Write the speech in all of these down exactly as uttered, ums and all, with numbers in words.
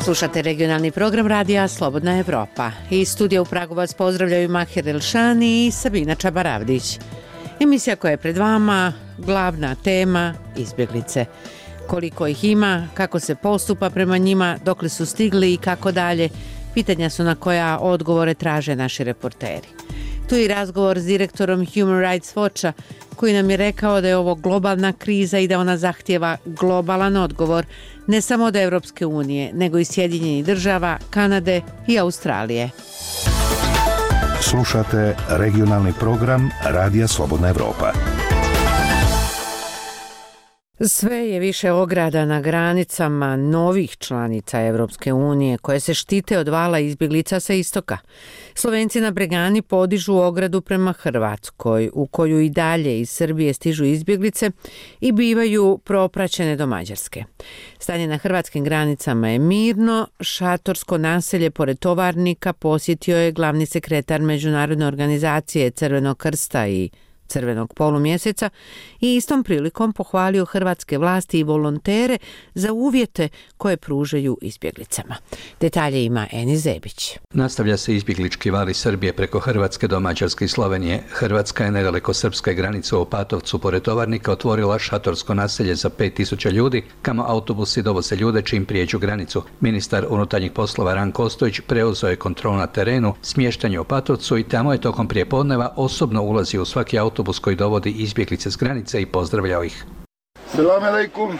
Slušate regionalni program radija Slobodna Evropa. Iz studija u Pragu vas pozdravljaju Mahir Elšani i Sabina Čabaravdić. Emisija koja je pred vama, glavna tema, izbjeglice. Koliko ih ima, kako se postupa prema njima, dokle su stigli i kako dalje, pitanja su na koja odgovore traže naši reporteri. Tu je i razgovor s direktorom Human Rights Watcha, koji nam je rekao da je ovo globalna kriza i da ona zahtijeva globalan odgovor ne samo od Europske unije, nego i Sjedinjenih država, Kanade i Australije. Slušate regionalni program Radija Slobodna Evropa. Sve je više ograda na granicama novih članica Europske unije koje se štite od vala izbjeglica sa istoka. Slovenci na Bregani podižu ogradu prema Hrvatskoj, u koju i dalje iz Srbije stižu izbjeglice i bivaju propraćene do Mađarske. Stanje na hrvatskim granicama je mirno. Šatorsko naselje pored Tovarnika posjetio je glavni sekretar Međunarodne organizacije Crvenog krsta i Crvenog polumjeseca i istom prilikom pohvalio hrvatske vlasti i volontere za uvjete koje pružaju izbjeglicama. Detalje ima Eni Zebić. Nastavlja se izbjeglički val iz Srbije preko Hrvatske do Mađarske i Slovenije. Hrvatska je nedaleko srpske granice u Opatovcu pored Tovarnika otvorila šatorsko naselje za pet tisuća ljudi, kamo autobusi dovoze ljude čim prijeđu granicu. Ministar unutarnjih poslova Ranko Ostojić preuzeo je kontrolu na terenu, smještanje u Opatovcu i tamo je tokom prijepodneva osobno ulazio u svaki autobus autobus koji dovodi izbjeglice s granice i pozdravljao ih. Selam alaikum.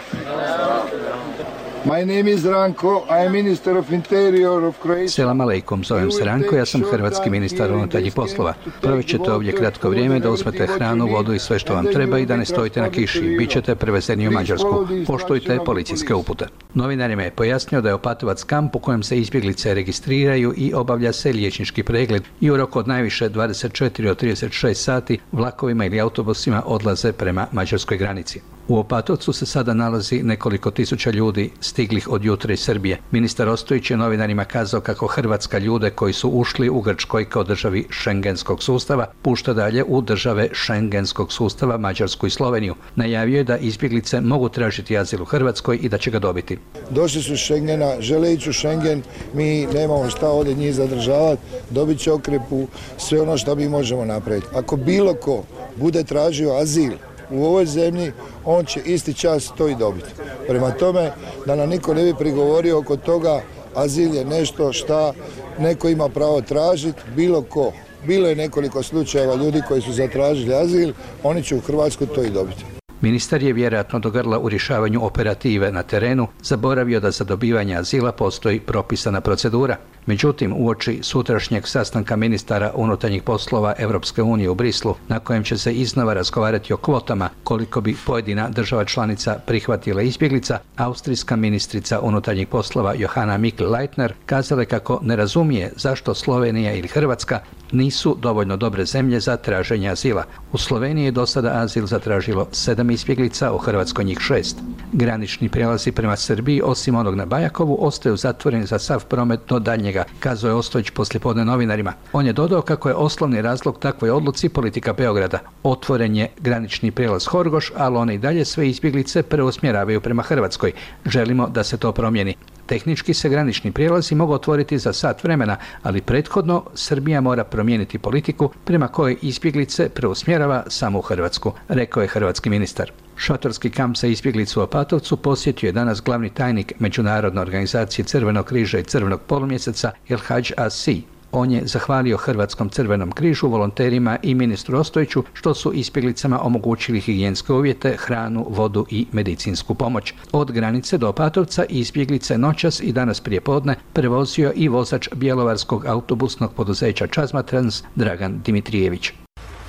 My name is Ranko, I am Minister of Interior of Croatia. Selam alaikum, zovem se Ranko, ja sam hrvatski ministar unutarnjih poslova. Provjećete ovdje kratko vrijeme da uzmete hranu, vodu i sve što vam treba i da ne stojite na kiši. Bićete prevezeni u Mađarsku. Poštujte policijske upute. Novinarima je pojasnio da je Opatovac kamp u kojem se izbjeglice registriraju i obavlja se liječnički pregled i u roku od najviše dvadeset četiri do trideset šest sati vlakovima ili autobusima odlaze prema mađarskoj granici. U Opatovcu se sada nalazi nekoliko tisuća ljudi stiglih od jutra iz Srbije. Ministar Ostojić je novinarima kazao kako Hrvatska ljude koji su ušli u Grčkoj kao državi šengenskog sustava pušta dalje u države šengenskog sustava Mađarsku i Sloveniju. Najavio je da izbjeglice mogu tražiti azil u Hrvatskoj i da će ga dobiti. Došli su iz Šengena, žele ići u Šengen, mi nemamo šta ovdje njih zadržavati, dobit će okrepu, sve ono što mi možemo napraviti. Ako bilo ko bude tražio azil u ovoj zemlji, on će isti čas to i dobiti. Prema tome, da nam niko ne bi prigovorio oko toga, azil je nešto šta neko ima pravo tražiti, bilo ko. Bilo je nekoliko slučajeva ljudi koji su zatražili azil, oni će u Hrvatsku to i dobiti. Ministar je vjerojatno do grla u rješavanju operative na terenu zaboravio da za dobivanje azila postoji propisana procedura. Međutim, uoči sutrašnjeg sastanka ministara unutarnjih poslova Europske unije u Brislu, na kojem će se iznova razgovarati o kvotama koliko bi pojedina država članica prihvatila izbjeglica, austrijska ministrica unutarnjih poslova Johanna Mikl-Leitner kazala kako ne razumije zašto Slovenija ili Hrvatska nisu dovoljno dobre zemlje za traženje azila. U Sloveniji je do sada azil zatražilo sedam izbjeglica, u Hrvatskoj njih šest. Granični prijelazi prema Srbiji, osim onog na Bajakovu, ostaju zatvoreni za sav promet do daljnjega, kazao je Ostojić poslijepodne novinarima. On je dodao kako je osnovni razlog takvoj odluci politika Beograda. Otvoren je granični prijelaz Horgoš, ali one i dalje sve izbjeglice preusmjeravaju prema Hrvatskoj. Želimo da se to promijeni. Tehnički se granični prijelazi mogu otvoriti za sat vremena, ali prethodno Srbija mora promijeniti politiku prema kojoj izbjeglice preusmjerava samo u Hrvatsku, rekao je hrvatski ministar. Šatorski kamp za izbjeglicu u Opatovcu posjetio je danas glavni tajnik Međunarodne organizacije Crvenog križa i Crvenog polumjeseca El Hadž Asi. On je zahvalio Hrvatskom crvenom križu, volonterima i ministru Ostojiću što su izbjeglicama omogućili higijenske uvjete, hranu, vodu i medicinsku pomoć. Od granice do Opatovca izbjeglice noćas i danas prijepodne prevozio i vozač bjelovarskog autobusnog poduzeća Čazmatrans Dragan Dimitrijević.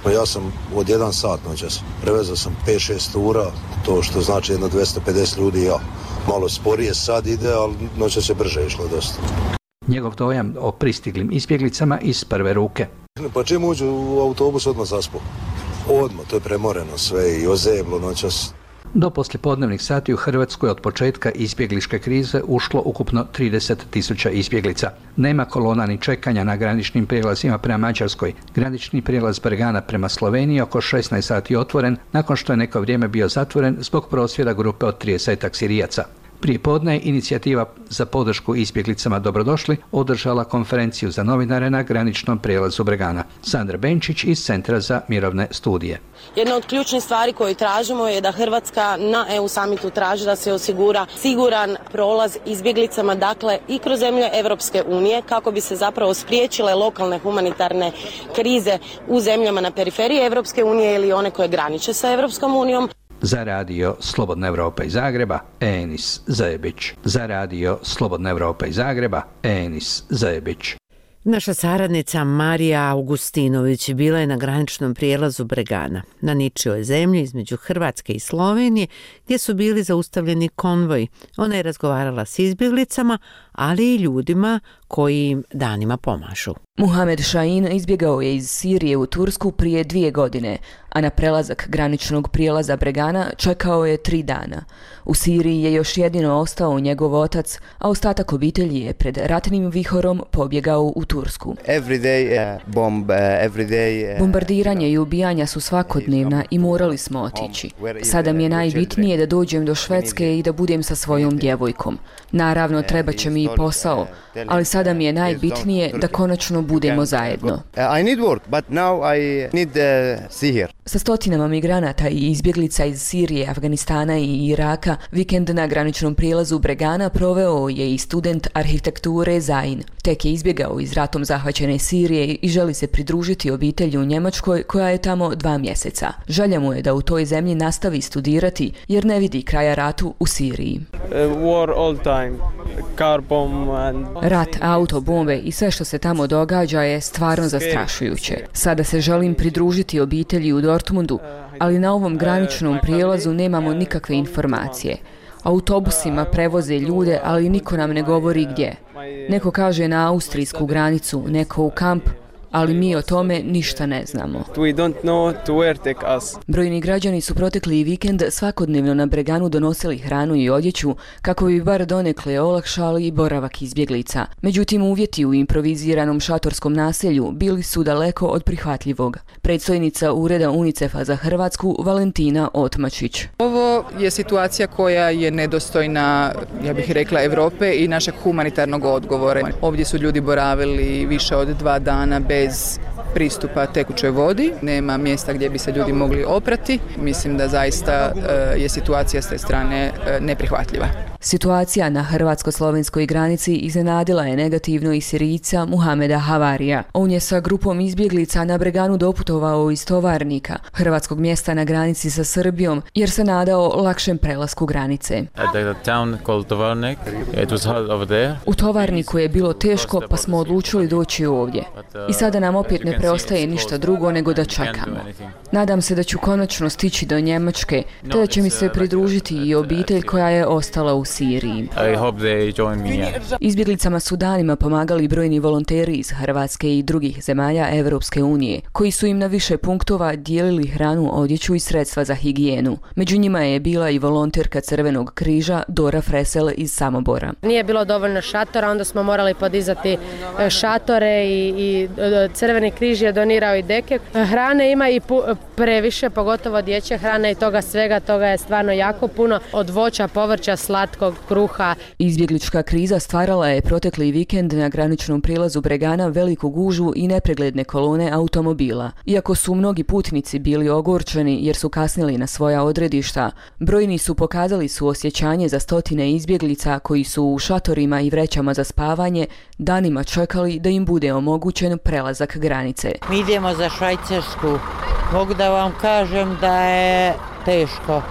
Pa ja sam od jedan sat noćas, prevezao sam pet šest tura, to što znači jedno dvjesto pedeset ljudi, ja malo sporije sad ide, ali noćas je brže išlo dosta. Njegov dojam o pristiglim izbjeglicama iz prve ruke. Pa čim uđu u autobus odmah zaspu. Odmah, to je premoreno sve i ozeblo noćas. Do poslijepodnevnih sati u Hrvatsku je od početka izbjegličke krize ušlo ukupno trideset tisuća izbjeglica. Nema kolona ni čekanja na graničnim prijelazima prema Mađarskoj. Granični prijelaz Bregana prema Sloveniji oko šesnaest sati otvoren, nakon što je neko vrijeme bio zatvoren zbog prosvjeda grupe od tridesetak Sirijaca. Prije podne je inicijativa za podršku izbjeglicama Dobrodošli održala konferenciju za novinare na graničnom prijelazu Bregana. Sandra Benčić iz Centra za mirovne studije. Jedna od ključnih stvari koju tražimo je da Hrvatska na E U samitu traži da se osigura siguran prolaz izbjeglicama, dakle i kroz zemlje Europske unije, kako bi se zapravo spriječile lokalne humanitarne krize u zemljama na periferiji Europske unije ili one koje graniče sa Europskom unijom. Za radio Slobodna Evropa iz Zagreba, Enis Zajebić. Za radio Slobodna Evropa iz Zagreba, Enis Zajebić. Naša saradnica Marija Augustinović bila je na graničnom prijelazu Bregana, na ničijoj zemlji između Hrvatske i Slovenije, gdje su bili zaustavljeni konvoji. Ona je razgovarala s izbjeglicama, ali i ljudima koji im danima pomažu. Muhamed Šahin izbjegao je iz Sirije u Tursku prije dvije godine, a na prelazak graničnog prijelaza Bregana čekao je tri dana. U Siriji je još jedino ostao njegov otac, a ostatak obitelji je pred ratnim vihorom pobjegao u Tursku. Day, uh, bomb, uh, day, uh, Bombardiranje i ubijanja su svakodnevna i morali smo otići. Sada mi je najbitnije da dođem do Švedske i da budem sa svojom djevojkom. Naravno, treba će mi i posao, ali sada mi je najbitnije da konačno budemo zajedno. I need work, but now I need uh, see here. Sa stotinama migranata i izbjeglica iz Sirije, Afganistana i Iraka, vikend na graničnom prijelazu Bregana proveo je i student arhitekture Zain. Tek je izbjegao iz ratom zahvaćene Sirije i želi se pridružiti obitelji u Njemačkoj koja je tamo dva mjeseca. Želja mu je da u toj zemlji nastavi studirati jer ne vidi kraja ratu u Siriji. Rat, auto, bombe i sve što se tamo događa je stvarno zastrašujuće. Sada se želim pridružiti obitelji u Dortmundu, ali na ovom graničnom prijelazu nemamo nikakve informacije. Autobusima prevoze ljude, ali niko nam ne govori gdje. Neko kaže na austrijsku granicu, neko u kamp, ali mi o tome ništa ne znamo. Brojni građani su protekli vikend svakodnevno na Breganu donosili hranu i odjeću kako bi bar donekle olakšali boravak izbjeglica. Međutim, uvjeti u improviziranom šatorskom naselju bili su daleko od prihvatljivog. Predstojnica Ureda UNICEF-a za Hrvatsku Valentina Otmačić. Ovo je situacija koja je nedostojna, ja bih rekla, Europe i našeg humanitarnog odgovora. Ovdje su ljudi boravili više od dva dana bez bez pristupa tekućoj vodi, nema mjesta gdje bi se ljudi mogli oprati. Mislim da zaista je situacija s te strane neprihvatljiva. Situacija na hrvatsko-slovenskoj granici iznenadila je negativno i Sirijca Muhameda Havarija. On je sa grupom izbjeglica na Breganu doputovao iz Tovarnika, hrvatskog mjesta na granici sa Srbijom, jer se nadao lakšem prelasku granice. U Tovarniku je bilo teško, pa smo odlučili doći ovdje. I sada nam opet ne preostaje ništa drugo nego da čekamo. Nadam se da ću konačno stići do Njemačke, te da će mi se pridružiti i obitelj koja je ostala u Siriji. Izbjeglicama su danima pomagali brojni volonteri iz Hrvatske i drugih zemalja Europske unije, koji su im na više punktova dijelili hranu, odjeću i sredstva za higijenu. Među njima je bila i volonterka Crvenog križa Dora Fresel iz Samobora. Nije bilo dovoljno šatora, onda smo morali podizati šatore i, i Crveni križ je donirao i deke. Hrane ima i pu- previše, pogotovo dječje hrane i toga svega, toga je stvarno jako puno, od voća, povrća, slatkog, kruha. Izbjeglička kriza stvarala je protekli vikend na graničnom prijelazu Bregana veliku gužvu i nepregledne kolone automobila. Iako su mnogi putnici bili ogorčeni jer su kasnili na svoja odredišta, brojni su pokazali suosjećanje za stotine izbjeglica koji su u šatorima i vrećama za spavanje danima čekali da im bude omogućen prelazak granice. Mi idemo za Švajcarsku. Mogu da vam kažem da je teško.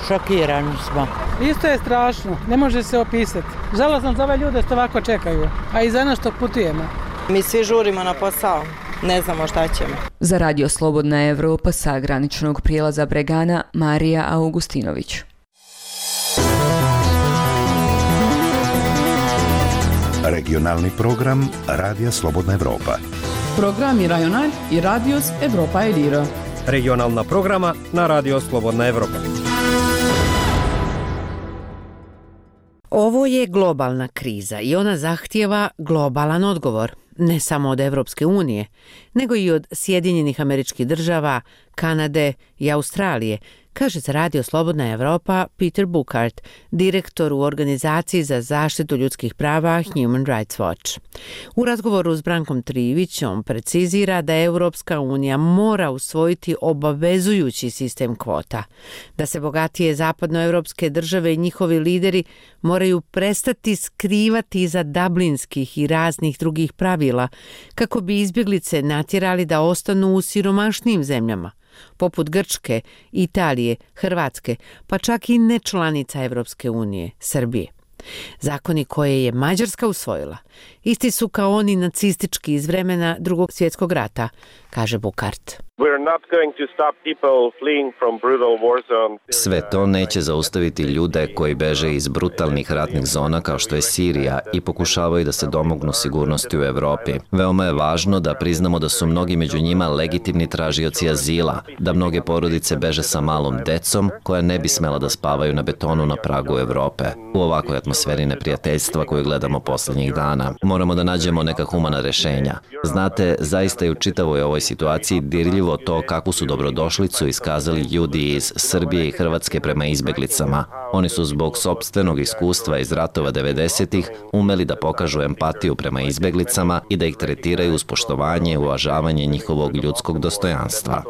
Šokirani smo. Isto je strašno, ne može se opisati. Žalosno za ove ljude što ovako čekaju, a i za nas što putujemo. Mi svi žurimo na posao, ne znamo šta ćemo. Za Radio Slobodna Evropa sa graničnog prijelaza Bregana, Marija Augustinović. Regionalni program Radija Slobodna Evropa. Programi Rajonal i Radios Evropa Eliro. Regionalna programa na Radio Slobodna Evropa. Ovo je globalna kriza i ona zahtijeva globalan odgovor, ne samo od Evropske unije, nego i od Sjedinjenih Američkih Država, Kanade i Australije, kaže za Radio Slobodna Evropa Peter Bukart, direktor u organizaciji za zaštitu ljudskih prava Human Rights Watch. U razgovoru s Brankom Trivićom precizira da Evropska unija mora usvojiti obavezujući sistem kvota, da se bogatije zapadnoevropske države i njihovi lideri moraju prestati skrivati iza dublinskih i raznih drugih pravila kako bi izbjeglice natjerali da ostanu u siromašnijim zemljama, poput Grčke, Italije, Hrvatske, pa čak i nečlanica Evropske unije, Srbije. Zakoni koje je Mađarska usvojila isti su kao oni nacistički iz vremena Drugog svjetskog rata, kaže Bukart. Sve to neće zaustaviti ljude koji beže iz brutalnih ratnih zona kao što je Sirija i pokušavaju da se domognu sigurnosti u Evropi. Veoma je važno da priznamo da su mnogi među njima legitimni tražioci azila, da mnoge porodice beže sa malom decom koja ne bi smela da spavaju na betonu na pragu Evrope. U ovakvoj atmosferi neprijateljstva koju gledamo posljednjih dana, moramo da nađemo neka humana rešenja. Znate, zaista je u čitavoj ovoj situaciji dirljivo to kakvu su dobrodošlicu iskazali ljudi iz Srbije i Hrvatske prema izbjeglicama. Oni su zbog sopstvenog iskustva iz ratova devedesetih umeli da pokažu empatiju prema izbjeglicama i da ih tretiraju uz poštovanje i uvažavanje njihovog ljudskog dostojanstva.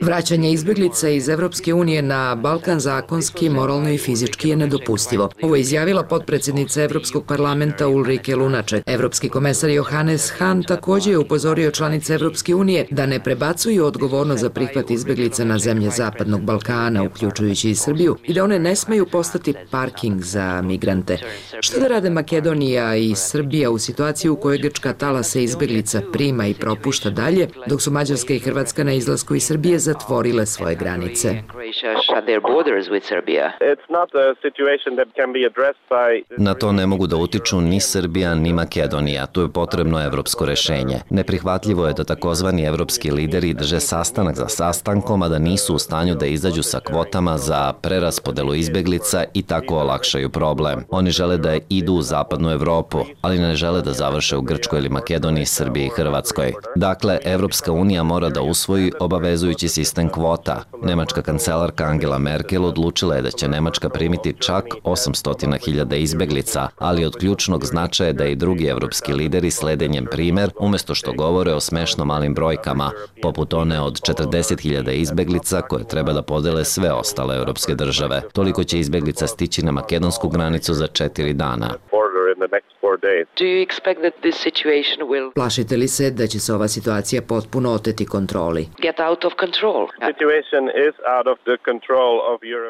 Vraćanje izbjeglica iz Evropske unije na Balkan zakonski, moralno i fizički je nedopustivo. Ovo je izjavila potpredsjednica Evropskog parlamenta Ulrike Lunaček. Evropski komesar Johannes Hahn također je upozorio članice Evropske unije da ne prebacuju odgovornost za prihvat izbjeglica na zemlje Zapadnog Balkana, uključujući i Srbiju, i da one ne smeju postati parking za migrante. Što da rade Makedonija i Srbija u situaciji u kojoj Grčka talase izbjeglica prima i propušta dalje, dok su Mađarska i Hrvatska na izlasku iz Srbije zatvorile svoje granice? Na to ne mogu da utiču ni Srbija ni Makedonija, tu je potrebno evropsko rešenje. Neprihvatljivo je da takozvani evropski lideri drže sastanak za sastankom, a da nisu u stanju da izađu sa kvotama za preraspodelu izbjeglica i tako olakšaju problem. Oni žele da idu u zapadnu Evropu, ali ne žele da završe u Grčkoj ili Makedoniji, Srbiji i Hrvatskoj. Dakle, Evropska unija mora da usvoji obavezujući sistem kvota. Nemačka kancelarka Angela Merkel odlučila je da će Nemačka primiti čak osamsto hiljada izbjeglica, ali od ključnog značaja je da i drugi evropski lideri slede njen primer, umjesto što govore o smešno malim brojkama, poput one od četrdeset hiljada izbjeglica koje treba da podele sve ostale evropske države. Toliko će izbjeglica stići na makedonsku granicu za četiri dana. Plašite li se da će se ova situacija potpuno oteti kontroli?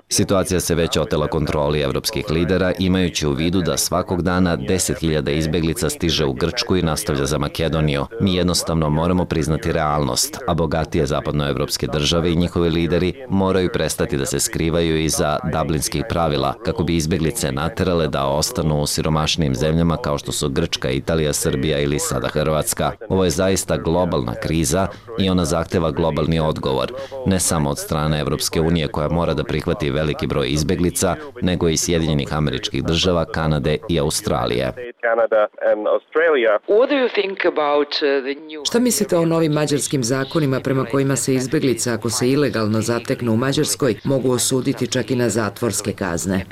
Situacija se već otela kontroli evropskih lidera, imajući u vidu da svakog dana deset hiljada izbjeglica stiže u Grčku i nastavlja za Makedoniju. Mi jednostavno moramo priznati realnost, a bogatije zapadnoevropske države i njihovi lideri moraju prestati da se skrivaju iza dublinskih pravila kako bi izbjeglice naterale da ostanu u siromašnijim zemljama kao što su Grčka, Italija, Srbija ili sada Hrvatska. Ovo je zaista globalna kriza i ona zahteva globalni odgovor, ne samo od strane Evropske unije koja mora da prihvati veliki broj izbjeglica, nego i Sjedinjenih Američkih Država, Kanade i Australije. Šta mislite o novim mađarskim zakonima prema kojima se izbjeglice, ako se ilegalno zateknu u Mađarskoj, mogu osuditi čak i na zatvorske kazne?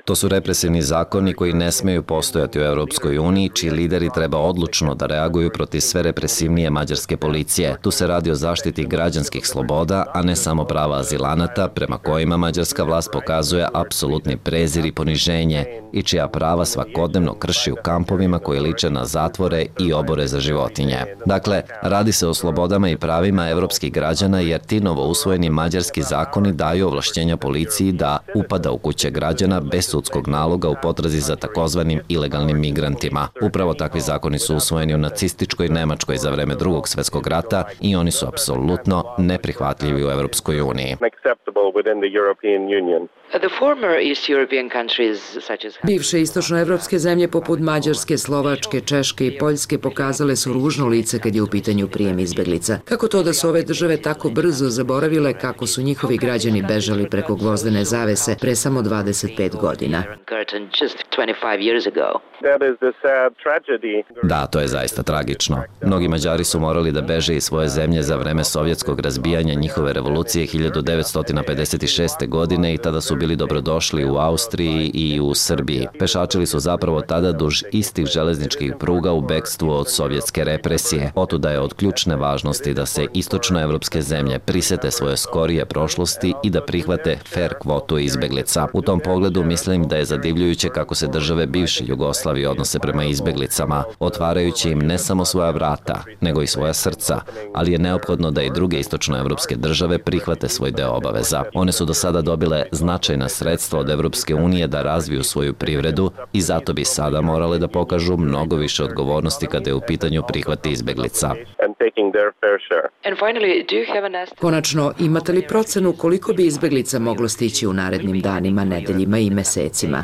To su represivni zakoni koji ne smeju postojati u Europskoj uniji, čiji lideri treba odlučno da reaguju protiv sve represivnije mađarske policije. Tu se radi o zaštiti građanskih sloboda, a ne samo prava azilanata, prema kojima mađarska vlast pokazuje apsolutni prezir i poniženje i čija prava svakodnevno krši u kampovima koji liče na zatvore i obore za životinje. Dakle, radi se o slobodama i pravima evropskih građana jer ti novo usvojeni mađarski zakoni daju ovlašćenja policiji da upada u kuće građana bez sudskog naloga u potrazi za takozvanim ilegalnim migrantima. Upravo takvi zakoni su usvojeni u nacističkoj Nemačkoj za vreme Drugog svjetskog rata i oni su apsolutno neprihvatljivi u Evropskoj uniji. Bivše istočnoevropske zemlje poput Mađarske, Slovačke, Češke i Poljske pokazale su ružno lice kad je u pitanju prijem izbeglica. Kako to da su ove države tako brzo zaboravile kako su njihovi građani bežali preko gvozdene zavese pre samo dvadeset pet godina? Da, to je zaista tragično. Mnogi Mađari su morali da beže iz svoje zemlje za vreme sovjetskog razbijanja njihove revolucije hiljadu devetsto pedeset šeste. godine i tada su bili dobrodošli u Austriji i u Srbiji. Pešačili su zapravo tada duž istih železničkih pruga u bekstvu od sovjetske represije. Otuda je od ključne važnosti da se istočnoevropske zemlje prisete svoje skorije prošlosti i da prihvate fer kvotu izbeglica. U tom pogledu mislim da je zadivljujuće kako se države bivše Jugoslavije odnose prema izbeglicama, otvarajući im ne samo svoja vrata, nego i svoja srca, ali je neophodno da i druge istočnoevropske države prihvate svoj deo obaveza. One su do sada dobile značajna sredstva od Evropske unije da razviju svoju privredu i zato bi sada morale da pokažu mnogo više odgovornosti kada je u pitanju prihvat izbeglica. Konačno, imate li procenu koliko bi izbeglica moglo stići u narednim danima, nedeljima i mesecima?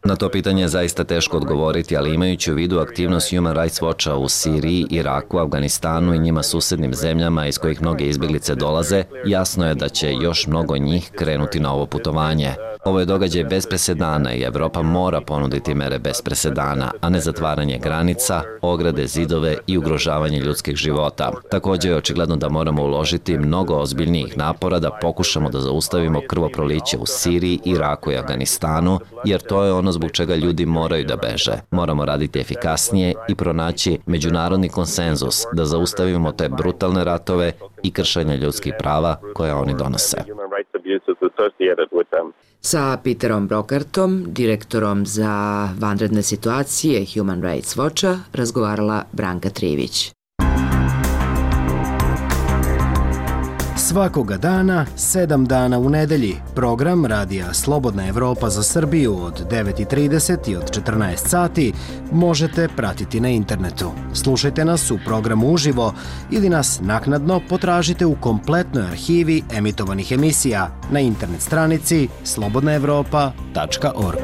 Na to pitanje je zaista teško odgovoriti, ali imajući u vidu aktivnost Human Rights Watcha u Siriji, Iraku, Afganistanu i njima susednim zemljama iz kojih mnoge izbeglice dolaze, jasno je da će još mnogo njih krenuti na ovo putovanje. Ovo je događaj bez presedana i Evropa mora ponuditi mere bez presedana, a ne zatvaranje granica, ograde, zidove i ugrožavanje ljudskih života. Također je očigledno da moramo uložiti mnogo ozbiljnijih napora da pokušamo da zaustavimo krvoproliće u Siriji, Iraku i Afganistanu, jer to je ono zbog čega ljudi moraju da beže. Moramo raditi efikasnije i pronaći međunarodni konsenzus da zaustavimo te brutalne ratove i kršenje ljudskih prava koje oni donose. Sa Peterom Brokartom, direktorom za vanredne situacije Human Rights Watcha, razgovarala Branka Trivić. Svakoga dana, sedam dana u nedelji, program Radija Slobodna Evropa za Srbiju od devet i trideset i od četrnaest sati možete pratiti na internetu. Slušajte nas u programu uživo ili nas naknadno potražite u kompletnoj arhivi emitovanih emisija na internet stranici slobodna evropa tačka org.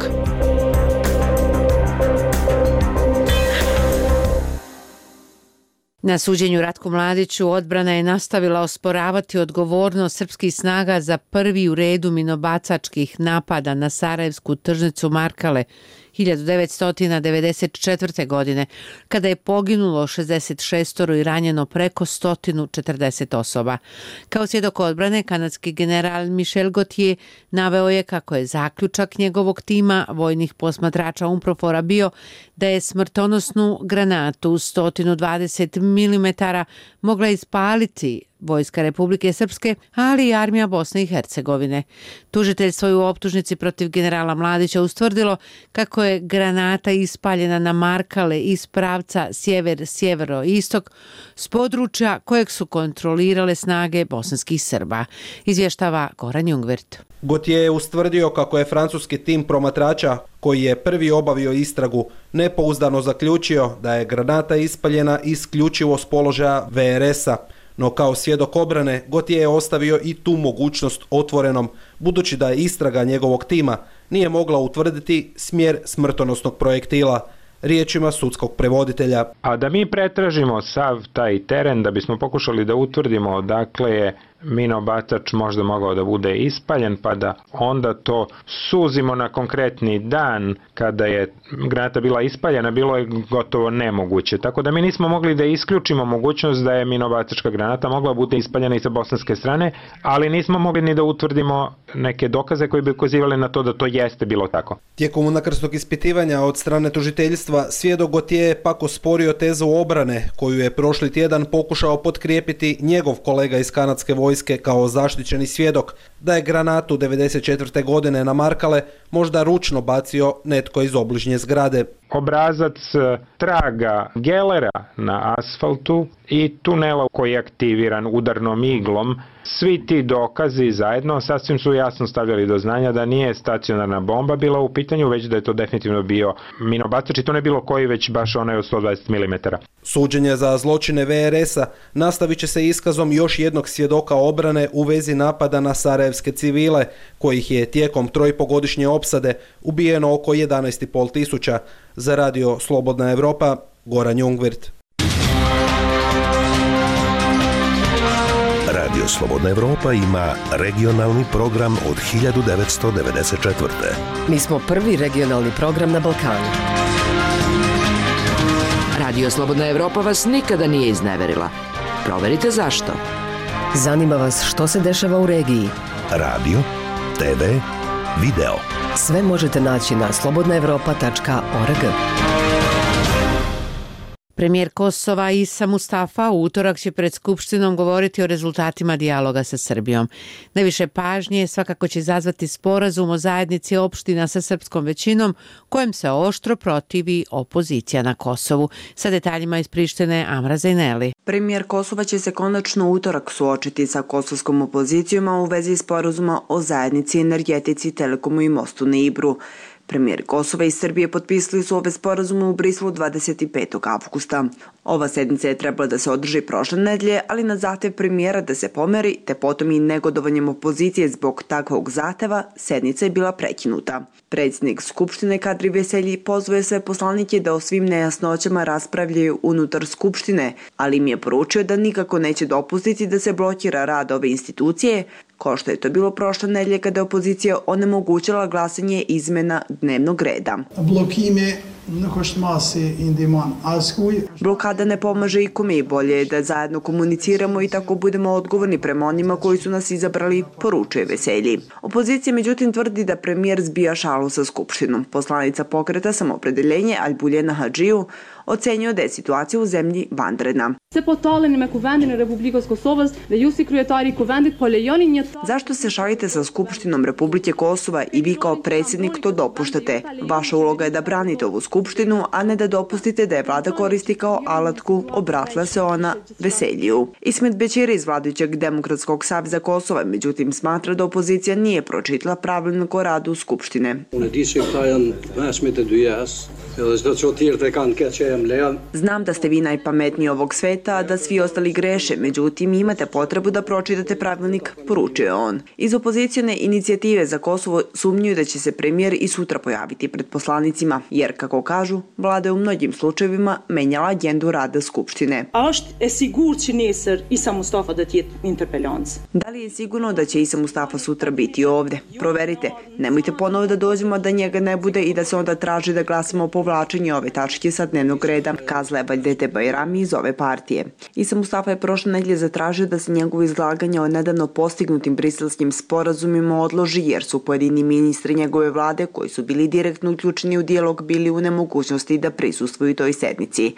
Na suđenju Ratku Mladiću odbrana je nastavila osporavati odgovornost srpskih snaga za prvi u redu minobacačkih napada na sarajevsku tržnicu Markale hiljadu devetsto devedeset četvrte. godine, kada je poginulo šezdeset šest i ranjeno preko sto četrdeset osoba. Kao svjedok odbrane, kanadski general Michel Gauthier naveo je kako je zaključak njegovog tima vojnih posmatrača UNPROFOR-a bio da je smrtonosnu granatu sto dvadeset milimetara mogla ispaliti Vojska Republike Srpske, ali i armija Bosne i Hercegovine. Tužiteljstvo je u optužnici protiv generala Mladića ustvrdilo kako je granata ispaljena na Markale iz pravca sjever-sjevero-istok s područja kojeg su kontrolirale snage bosanskih Srba. Izvještava Goran Jungwirth. Gauthier je ustvrdio kako je francuski tim promatrača, koji je prvi obavio istragu, nepouzdano zaključio da je granata ispaljena isključivo s položaja V R S-a. No kao svjedok obrane, Gauthier je ostavio i tu mogućnost otvorenom, budući da je istraga njegovog tima nije mogla utvrditi smjer smrtonosnog projektila, riječima sudskog prevoditelja. A da mi pretražimo sav taj teren da bismo pokušali da utvrdimo odakle je minobacač možda mogao da bude ispaljen, pa da onda to suzimo na konkretni dan kada je granata bila ispaljena, bilo je gotovo nemoguće. Tako da mi nismo mogli da isključimo mogućnost da je minobacačka granata mogla bude ispaljena i sa bosanske strane, ali nismo mogli ni da utvrdimo neke dokaze koji bi ukazivali na to da to jeste bilo tako. Tijekom unakrsnog ispitivanja od strane tužiteljstva, svjedok Gauthier je pak osporio tezu obrane koju je prošli tjedan pokušao potkrijepiti njegov kolega iz kanadske vojske kao zaštićeni svjedok, da je granatu devedeset četvrte. godine na Markale možda ručno bacio netko iz obližnje zgrade. obrazac traga gelera na asfaltu i tunela koji je aktiviran udarnom iglom. Svi ti dokazi zajedno sasvim su jasno stavljali do znanja da nije stacionarna bomba bila u pitanju, već da je to definitivno bio minobacač i to ne bilo koji, već baš onaj od sto dvadeset milimetara. Suđenje za zločine ve er esa nastavit će se iskazom još jednog svjedoka obrane u vezi napada na sarajevske civile, kojih je tijekom trojpogodišnje opsade ubijeno oko jedanaest i pol tisuća. Za radio Slobodna Evropa, Goran Jungwirth. Radio Slobodna Evropa ima regionalni program od hiljadu devetsto devedeset četvrte. Mi smo prvi regionalni program na Balkanu. Radio Slobodna Evropa vas nikada nije izneverila. Proverite zašto. Zanima vas što se dešava u regiji. Radio, te ve, video. Sve možete naći na slobodna evropa tačka org. Premijer Kosova Isa Mustafa u utorak će pred Skupštinom govoriti o rezultatima dijaloga sa Srbijom. Najviše pažnje svakako će izazvati sporazum o zajednici opština sa srpskom većinom, kojem se oštro protivi opozicija na Kosovu. Sa detaljima iz Prištine, Amra Zajneli. Premijer Kosova će se konačno u utorak suočiti sa kosovskom opozicijom u vezi sporazuma o zajednici, energetici, telekomu i mostu na Ibru. Premijer Kosova i Srbije potpisali su ove sporazume u Briselu dvadeset petog avgusta. Ova sednica je trebala da se održi prošle nedelje, ali na zahtev premijera da se pomeri, te potom i negodovanjem opozicije zbog takvog zahteva, sednica je bila prekinuta. Predsjednik Skupštine Kadri Veselji pozvao sve poslanike da o svim nejasnoćama raspravljaju unutar Skupštine, ali im je poručio da nikako neće dopustiti da se blokira rad ove institucije, kao što je to bilo prošle nedelje kada je opozicija onemogućila glasanje izmena dnevnog reda. Blokada ne pomaže ikome i bolje je da zajedno komuniciramo i tako budemo odgovorni prema onima koji su nas izabrali, poručuje Veselji. Opozicija međutim tvrdi da premijer zbija šalu sa Skupštinom. Poslanica pokreta Samoopredeljenje Albuljena Hadžiju ocenio da je situacija u zemlji vanredna. Zašto se šalite sa Skupštinom Republike Kosova i vi kao predsjednik to dopuštate? Vaša uloga je da branite ovu Skupštinu, a ne da dopustite da je vlada koristi kao alatku, obratila se ona Veseljiju. Ismet Bećiri iz vladajućeg Demokratskog saveza Kosova međutim smatra da opozicija nije pročitala pravilnik o radu Skupštine. Znam da ste vi najpametniji ovog sveta, a da svi ostali greše, međutim imate potrebu da pročitate pravilnik, poručuje on. Iz opozicijone inicijative za Kosovo sumnjuju da će se premijer i sutra pojaviti pred poslanicima, jer, kako kažu, vlada je u mnogim slučajevima menjala agendu rada Skupštine. Da li je sigurno da će Isa Mustafa sutra biti ovde? Proverite. Nemojte ponovo da dođemo da njega ne bude i da se onda traži da glasamo o povlačenju ove tačke sa dnevnog reda, kazala je Vajdete Bajrami iz ove partije. Isa Mustafa je prošle nedelje zatražio da se njegovo izlaganje o nedavno postignutim briselskim sporazumima odloži, jer su pojedini ministri njegove vlade, koji su bili direktno uključeni u dijalog, bili u nemogućnosti da prisustvuju toj sednici.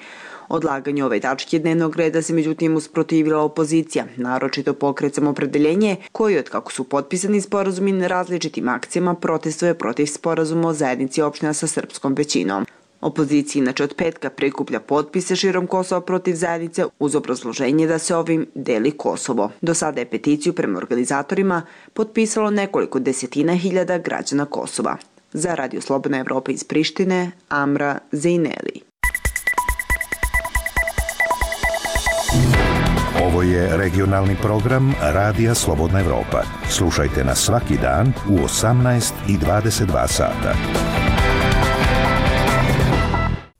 Odlaganju ove tačke dnevnog reda se međutim usprotivila opozicija, naročito pokret Samoopredeljenje, koji od kako su potpisani sporazumi na različitim akcijama protestuje protiv sporazuma o zajednici opština sa srpskom većinom. Opozicija inače od petka prikuplja potpise širom Kosova protiv zajednice uz obrazloženje da se ovim deli Kosovo. Do sada je peticiju prema organizatorima potpisalo nekoliko desetina hiljada građana Kosova. Za Radio Slobodna Evropa iz Prištine, Amra Zajneli. Ovo je regionalni program Radija Slobodna Evropa. Slušajte nas svaki dan u osamnaest i dvadeset dva sata.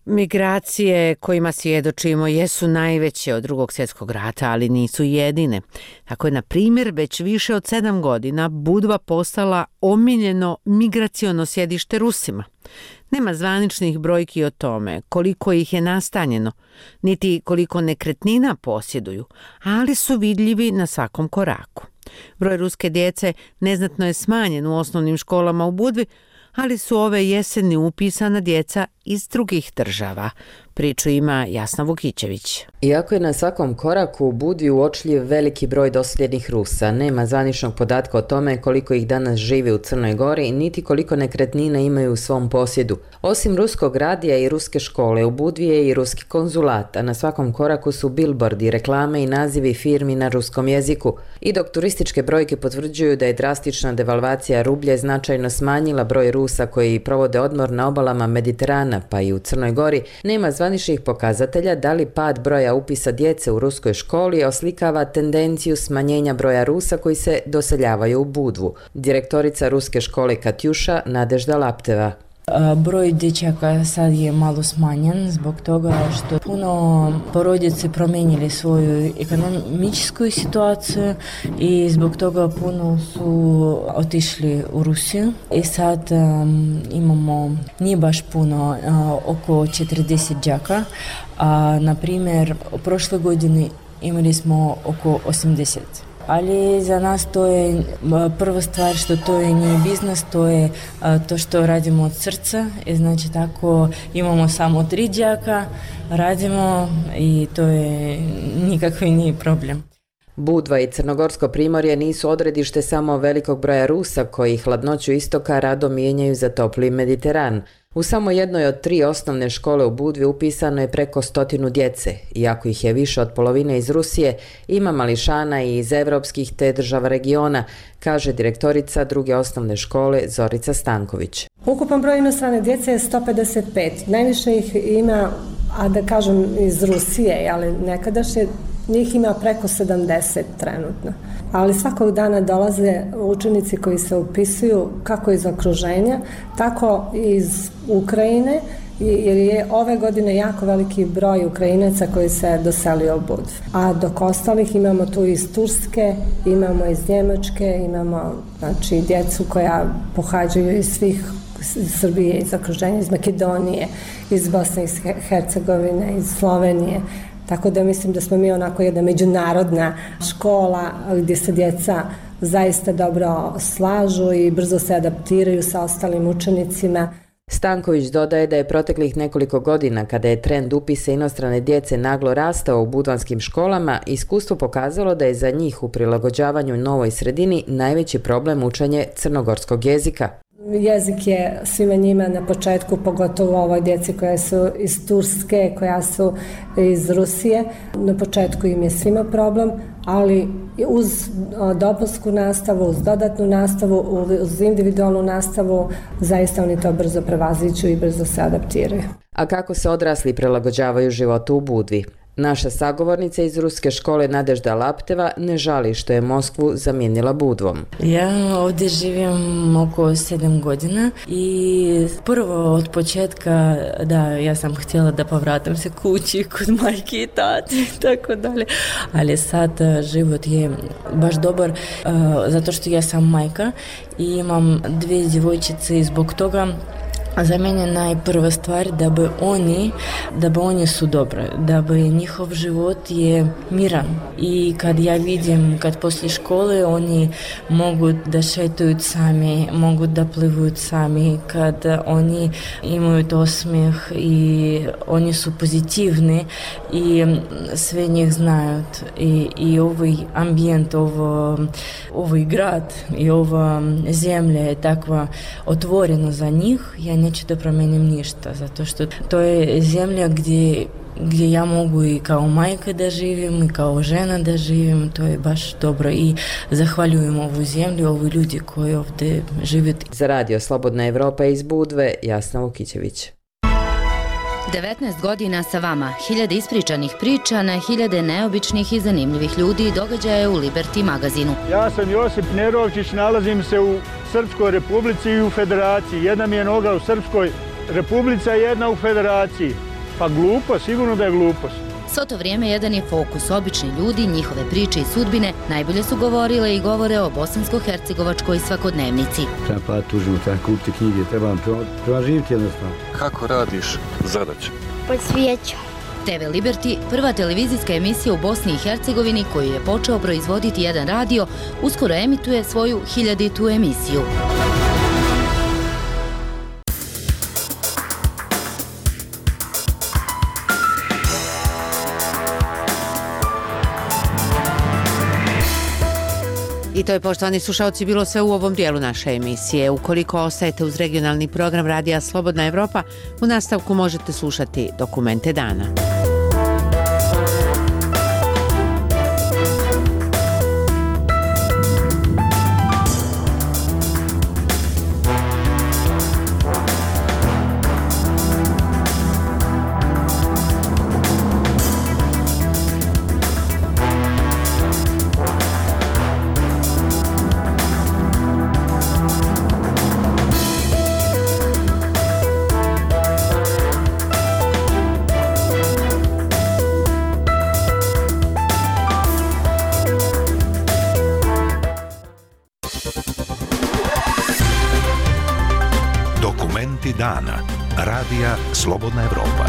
Migracije kojima svjedočimo jesu najveće od Drugog svjetskog rata, ali nisu jedine. Tako je, na primjer, već više od sedam godina Budva postala omiljeno migraciono sjedište Rusima. Nema zvaničnih brojki o tome koliko ih je nastanjeno, niti koliko nekretnina posjeduju, ali su vidljivi na svakom koraku. Broj ruske djece neznatno je smanjen u osnovnim školama u Budvi, ali su ove jeseni upisana djeca iz drugih država, Priču ima Jasna Vukićević. Iako je na svakom koraku u Budvi uočljiv veliki broj doseljenih Rusa, nema zvaničnog podatka o tome koliko ih danas živi u Crnoj Gori, niti koliko nekretnina imaju u svom posjedu. Osim ruskog radija i ruske škole, u Budvi je i ruski konzulat, a na svakom koraku su bilbordi, reklame i nazivi firmi na ruskom jeziku. I dok turističke brojke potvrđuju da je drastična devalvacija rublje značajno smanjila broj Rusa koji provode odmor na obalama Mediterana, pa i u Crnoj Gori, nema zvaničnih pokazatelja da li pad broja upisa djece u ruskoj školi oslikava tendenciju smanjenja broja Rusa koji se doseljavaju u Budvu. Direktorica ruske škole Katjuša Nadežda Lapteva. Broj dječaka sad je malo smanjen zbog toga što puno porodice promijenili svoju ekonomičku situaciju i zbog toga puno su otišli u Rusiju. I sad um, imamo nije baš puno, uh, oko četrdeset đaka, a na primjer u prošloj godini imali smo oko osamdeset. Ali za nas to je prva stvar što to je nije biznis, to je to što radimo od srca. I znači tako imamo samo tri đaka, radimo i to je nikakvi nije problem. Budva i Crnogorsko primorje nisu odredište samo velikog broja Rusa koji hladnoću istoka rado mijenjaju za topli Mediteran. U samo jednoj od tri osnovne škole u Budvi upisano je preko stotinu djece. Iako ih je više od polovine iz Rusije, ima mališana i iz evropskih te država regiona, kaže direktorica druge osnovne škole Zorica Stanković. Ukupan broj inostrane djece je sto pedeset pet. Najviše ih ima, a da kažem iz Rusije, ali nekadašnje njih ima preko sedamdeset trenutno. Ali svakog dana dolaze učenici koji se upisuju kako iz okruženja, tako i iz Ukrajine, jer je ove godine jako veliki broj Ukrajinaca koji se doselio u Budvu. A dok ostalih imamo tu iz Turske, imamo iz Njemačke, imamo znači, djecu koja pohađaju iz svih iz Srbije, iz okruženja, iz Makedonije, iz Bosne i Hercegovine, iz Slovenije. Tako da mislim da smo mi onako jedna međunarodna škola gdje se djeca zaista dobro slažu i brzo se adaptiraju sa ostalim učenicima. Stanković dodaje da je proteklih nekoliko godina, kada je trend upisa inostrane djece naglo rastao u budvanskim školama, iskustvo pokazalo da je za njih u prilagođavanju novoj sredini najveći problem učenje crnogorskog jezika. Jezik je svima njima na početku, pogotovo ovoj djeci koja su iz Turske, koja su iz Rusije. Na početku im je svima problem, ali uz dopunsku nastavu, uz dodatnu nastavu, uz individualnu nastavu, zaista oni to brzo prevaziđu i brzo se adaptiraju. A kako se odrasli prilagođavaju životu u Budvi? Naša sagovornica iz ruske škole Nadežda Lapteva ne žali što je Moskvu zamijenila Budvom. Ja ovdje živim oko sedam godina i prvo od početka, da, ja sam htjela da povratim se kući kod majke i tate i tako dalje, ali sad život je baš dobar uh, zato što ja sam majka i imam dvije djevojčice i zbog toga a za mene najprva stvar da bi oni, da bi oni su dobri, da bi njihov život je miran. I kad ja vidim, kad poslije škole oni mogu da šetaju sami, mogu da plivuju sami, kad oni imaju osmijeh i oni su pozitivni i sve njih znaju. I, i ovaj ambijent, ovo, ovaj grad i ova zemlja je takva otvorena za njih, ja neću da promijenim ništa, zato što to je zemlja gdje, gdje ja mogu i kao majka da živim i kao žena da živim, to je baš dobro i zahvaljujem ovu zemlju, ovi ljudi koji ovdje žive. Za Radio Slobodna Evropa iz Budve, Jasna Vukićević. devetnaest godina sa vama, hiljade ispričanih priča na hiljade neobičnih i zanimljivih ljudi i događaja u Liberty magazinu. Ja sam Josip Nerovčić, nalazim se u Srpskoj republici i u federaciji. Jedna mi je noga u Srpskoj republici, a jedna u federaciji. Pa glupo, sigurno da je glupost. Svo to vrijeme jedan je fokus, obični ljudi, njihove priče i sudbine najbolje su govorile i govore o bosansko-hercegovačkoj svakodnevnici. Treba pa tužimo, treba kupiti knjige, treba, treba živjeti jednostavno. Kako radiš zadaću? Pod svijećom. te ve Liberty, prva televizijska emisija u Bosni i Hercegovini koju je počeo proizvoditi jedan radio, uskoro emituje svoju hiljaditu emisiju. I to je, poštovani slušalci, bilo sve u ovom dijelu naše emisije. Ukoliko ostajete uz regionalni program Radija Slobodna Evropa, u nastavku možete slušati Dokumente dana. Dana. Radija Slobodna Evropa.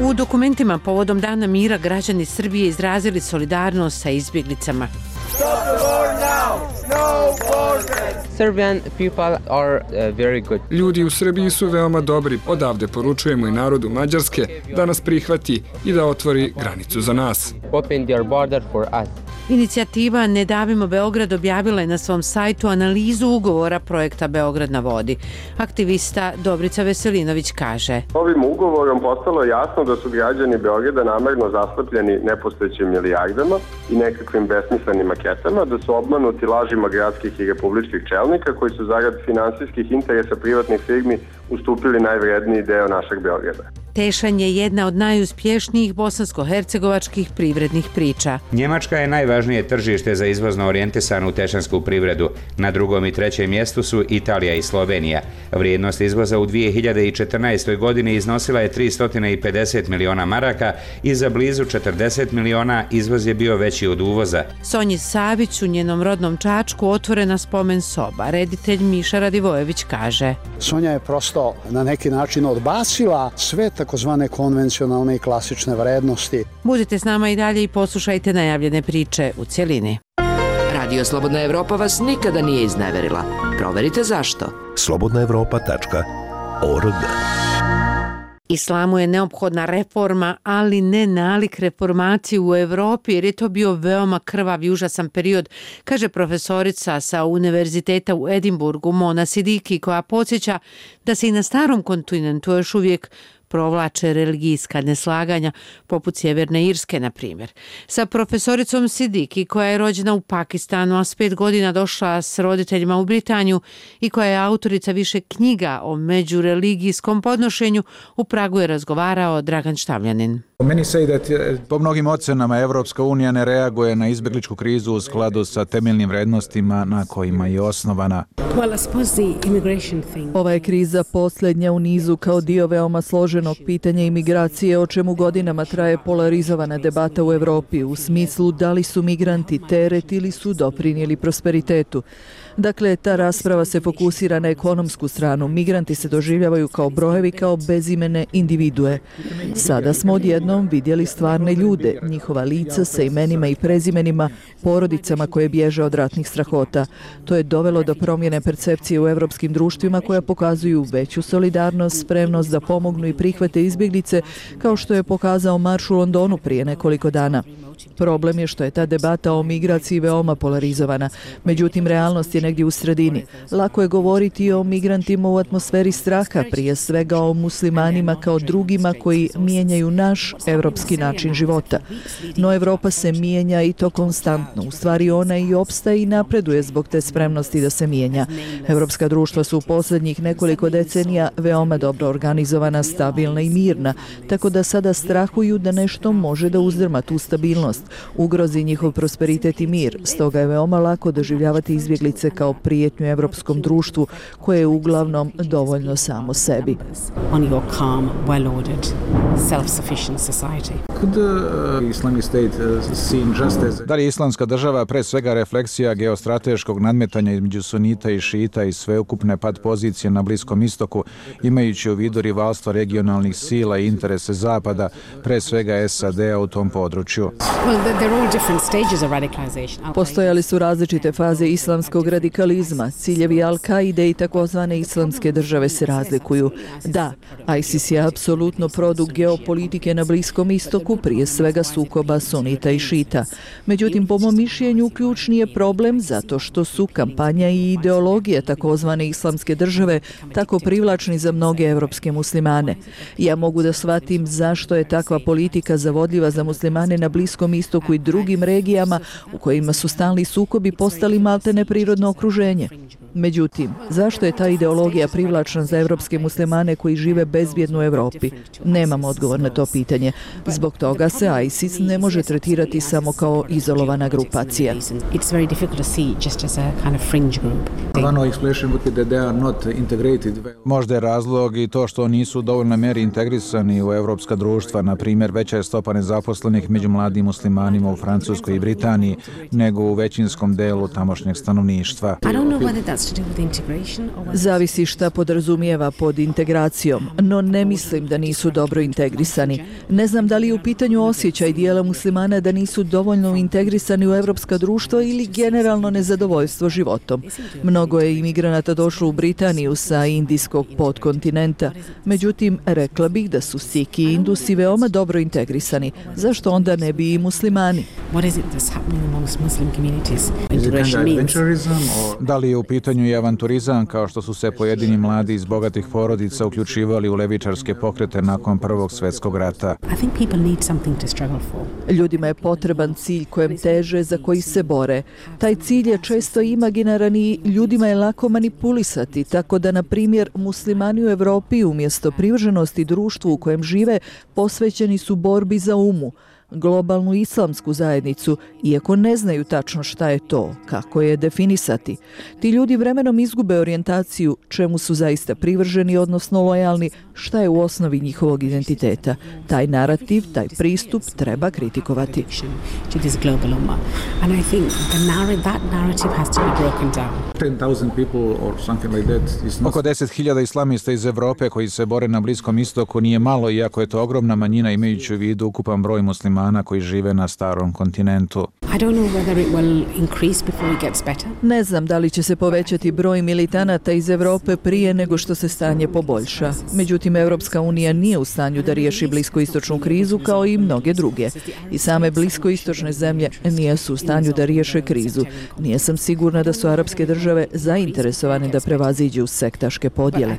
U dokumentima povodom Dana mira građani Srbije izrazili solidarnost sa izbjeglicama. Stop the war now! No borders! Serbian people are uh, very good. Ljudi u Srbiji su veoma dobri. Odavde poručujemo i narodu Mađarske da nas prihvati i da otvori granicu za nas. Open their border for us. Inicijativa Ne davimo Beograd objavila je na svom sajtu analizu ugovora projekta Beograd na vodi. Aktivista Dobrica Veselinović kaže: Ovim ugovorom postalo je jasno da su građani Beograda namerno zaslepljeni nepostojećim milijardama i nekakvim besmislenim maketama, da su obmanuti lažima gradskih i republičkih čelnika koji su zarad finansijskih interesa privatnih firmi ustupili najvredniji deo našeg Beograda. Tešan je jedna od najuspješnijih bosansko-hercegovačkih privrednih priča. Njemačka je najvažnije tržište za izvozno orijentisanu tešansku privredu. Na drugom i trećem mjestu su Italija i Slovenija. Vrijednost izvoza u dvije hiljade četrnaestoj. godini iznosila je tristo pedeset miliona maraka i za blizu četrdeset miliona izvoz je bio veći od uvoza. Sonji Savić u njenom rodnom Čačku otvorena spomen soba. Reditelj Miša Radivojević kaže: Sonja je prosto na neki način odbacila sve takozvane konvencionalne i klasične vrednosti. Budite s nama i dalje i poslušajte najavljene priče u cjelini. Radio Slobodna Evropa vas nikada nije izneverila. Proverite zašto. slobodna evropa tačka org. Islamu je neophodna reforma, ali ne nalik reformaciji u Evropi, jer je to bio veoma krvav i užasan period, kaže profesorica sa Univerziteta u Edinburgu Mona Sidiki, koja podsjeća da se i na starom kontinentu još uvijek provlače religijska neslaganja, poput Sjeverne Irske, na primjer. Sa profesoricom Sidiki, koja je rođena u Pakistanu, a s pet godina došla s roditeljima u Britaniju i koja je autorica više knjiga o međureligijskom podnošenju, u Pragu je razgovarao Dragan Štavljanin. Po mnogim ocenama Evropska unija ne reaguje na izbjegličku krizu u skladu sa temeljnim vrednostima na kojima je osnovana. Ova je kriza posljednja u nizu kao dio veoma složenog pitanja imigracije, o čemu godinama traje polarizovana debata u Evropi u smislu da li su migranti teret ili su doprinijeli prosperitetu. Dakle, ta rasprava se fokusira na ekonomsku stranu. Migranti se doživljavaju kao brojevi, kao bezimene individue. Sada smo odjednom vidjeli stvarne ljude, njihova lica sa imenima i prezimenima, porodicama koje bježe od ratnih strahota. To je dovelo do promjene percepcije u evropskim društvima koja pokazuju veću solidarnost, spremnost da pomognu i prihvate izbjeglice, kao što je pokazao marš u Londonu prije nekoliko dana. Problem je što je ta debata o migraciji veoma polarizovana. Međutim, realnost je negdje u sredini. Lako je govoriti o migrantima u atmosferi straha, prije svega o muslimanima kao drugima koji mijenjaju naš evropski način života. No Evropa se mijenja i to konstantno. U stvari ona i opstaje i napreduje zbog te spremnosti da se mijenja. Evropska društva su u posljednjih nekoliko decenija veoma dobro organizovana, stabilna i mirna, tako da sada strahuju da nešto može da uzdrma tu stabilnost, ugrozi njihov prosperitet i mir. Stoga je veoma lako doživljavati izbjeglice kao prijetnju evropskom društvu koje je uglavnom dovoljno samo sebi. Da li je islamska država pre svega refleksija geostrateškog nadmetanja između sunita i šita i sveukupne pad pozicije na Bliskom istoku, imajući u vidu rivalstvo regionalnih sila i interese Zapada, pre svega S A D-a u tom području? Postojali su različite faze islamskog radikalizma. Ciljevi Al-Kaide i takozvane islamske države se razlikuju. Da, ISIS je apsolutno produkt geopolitike na Bliskom istoku, prije svega sukoba sunita i šita. Međutim, po mom mišljenju, ključni je problem zato što su kampanja i ideologije takozvane islamske države tako privlačni za mnoge evropske muslimane. Ja mogu da shvatim zašto je takva politika zavodljiva za muslimane na Bliskom istoku i drugim regijama u kojima su stalni sukobi postali maltene prirodno okruženje. Međutim, zašto je ta ideologija privlačna za evropske muslimane koji žive bezbjedno u Evropi? Nemam odgovor na to pitanje. Zbog toga se ISIS ne može tretirati samo kao izolovana grupacija. Možda je razlog i to što nisu u dovoljnoj meri integrisani u evropska društva, na primjer veća je stopa nezaposlenih među mladim muslimanima u Francuskoj i Britaniji nego u većinskom delu tamošnjeg stanovništva. Zavisi šta podrazumijeva pod integracijom, no ne mislim da nisu dobro integrisani. Ne znam da li je u pitanju osjećaj dijela muslimana da nisu dovoljno integrisani u evropska društva ili generalno nezadovoljstvo životom. Mnogo je imigranata došlo u Britaniju sa indijskog podkontinenta. Međutim, rekla bih da su Sikhi i Indusi veoma dobro integrisani. Zašto onda ne bi i muslimani? Da li je u pitanju i avanturizam, kao što su se pojedini mladi iz bogatih porodica uključivali u levičarske pokrete nakon Prvog svjetskog rata? Ljudima je potreban cilj kojem teže, za koji se bore. Taj cilj je često imaginaran i ljudima je lako manipulisati, tako da, na primjer, muslimani u Evropi umjesto privrženosti društvu u kojem žive posvećeni su borbi za umu, globalnu islamsku zajednicu, iako ne znaju tačno šta je to, kako je definisati. Ti ljudi vremenom izgube orijentaciju čemu su zaista privrženi, odnosno lojalni, šta je u osnovi njihovog identiteta. Taj narativ, taj pristup treba kritikovati. Oko deset hiljada islamista iz Evrope koji se bore na Bliskom istoku nije malo, iako je to ogromna manjina imajući u vidu ukupan broj muslimana koji žive na starom kontinentu. Ne znam da li će se povećati broj militanata iz Evrope prije nego što se stanje poboljša. Međutim, Evropska unija nije u stanju da riješi bliskoistočnu krizu kao i mnoge druge. I same bliskoistočne zemlje nisu u stanju da riješe krizu. Nije sam sigurna da su arapske države zainteresovane da prevaziđu sektaške podjele.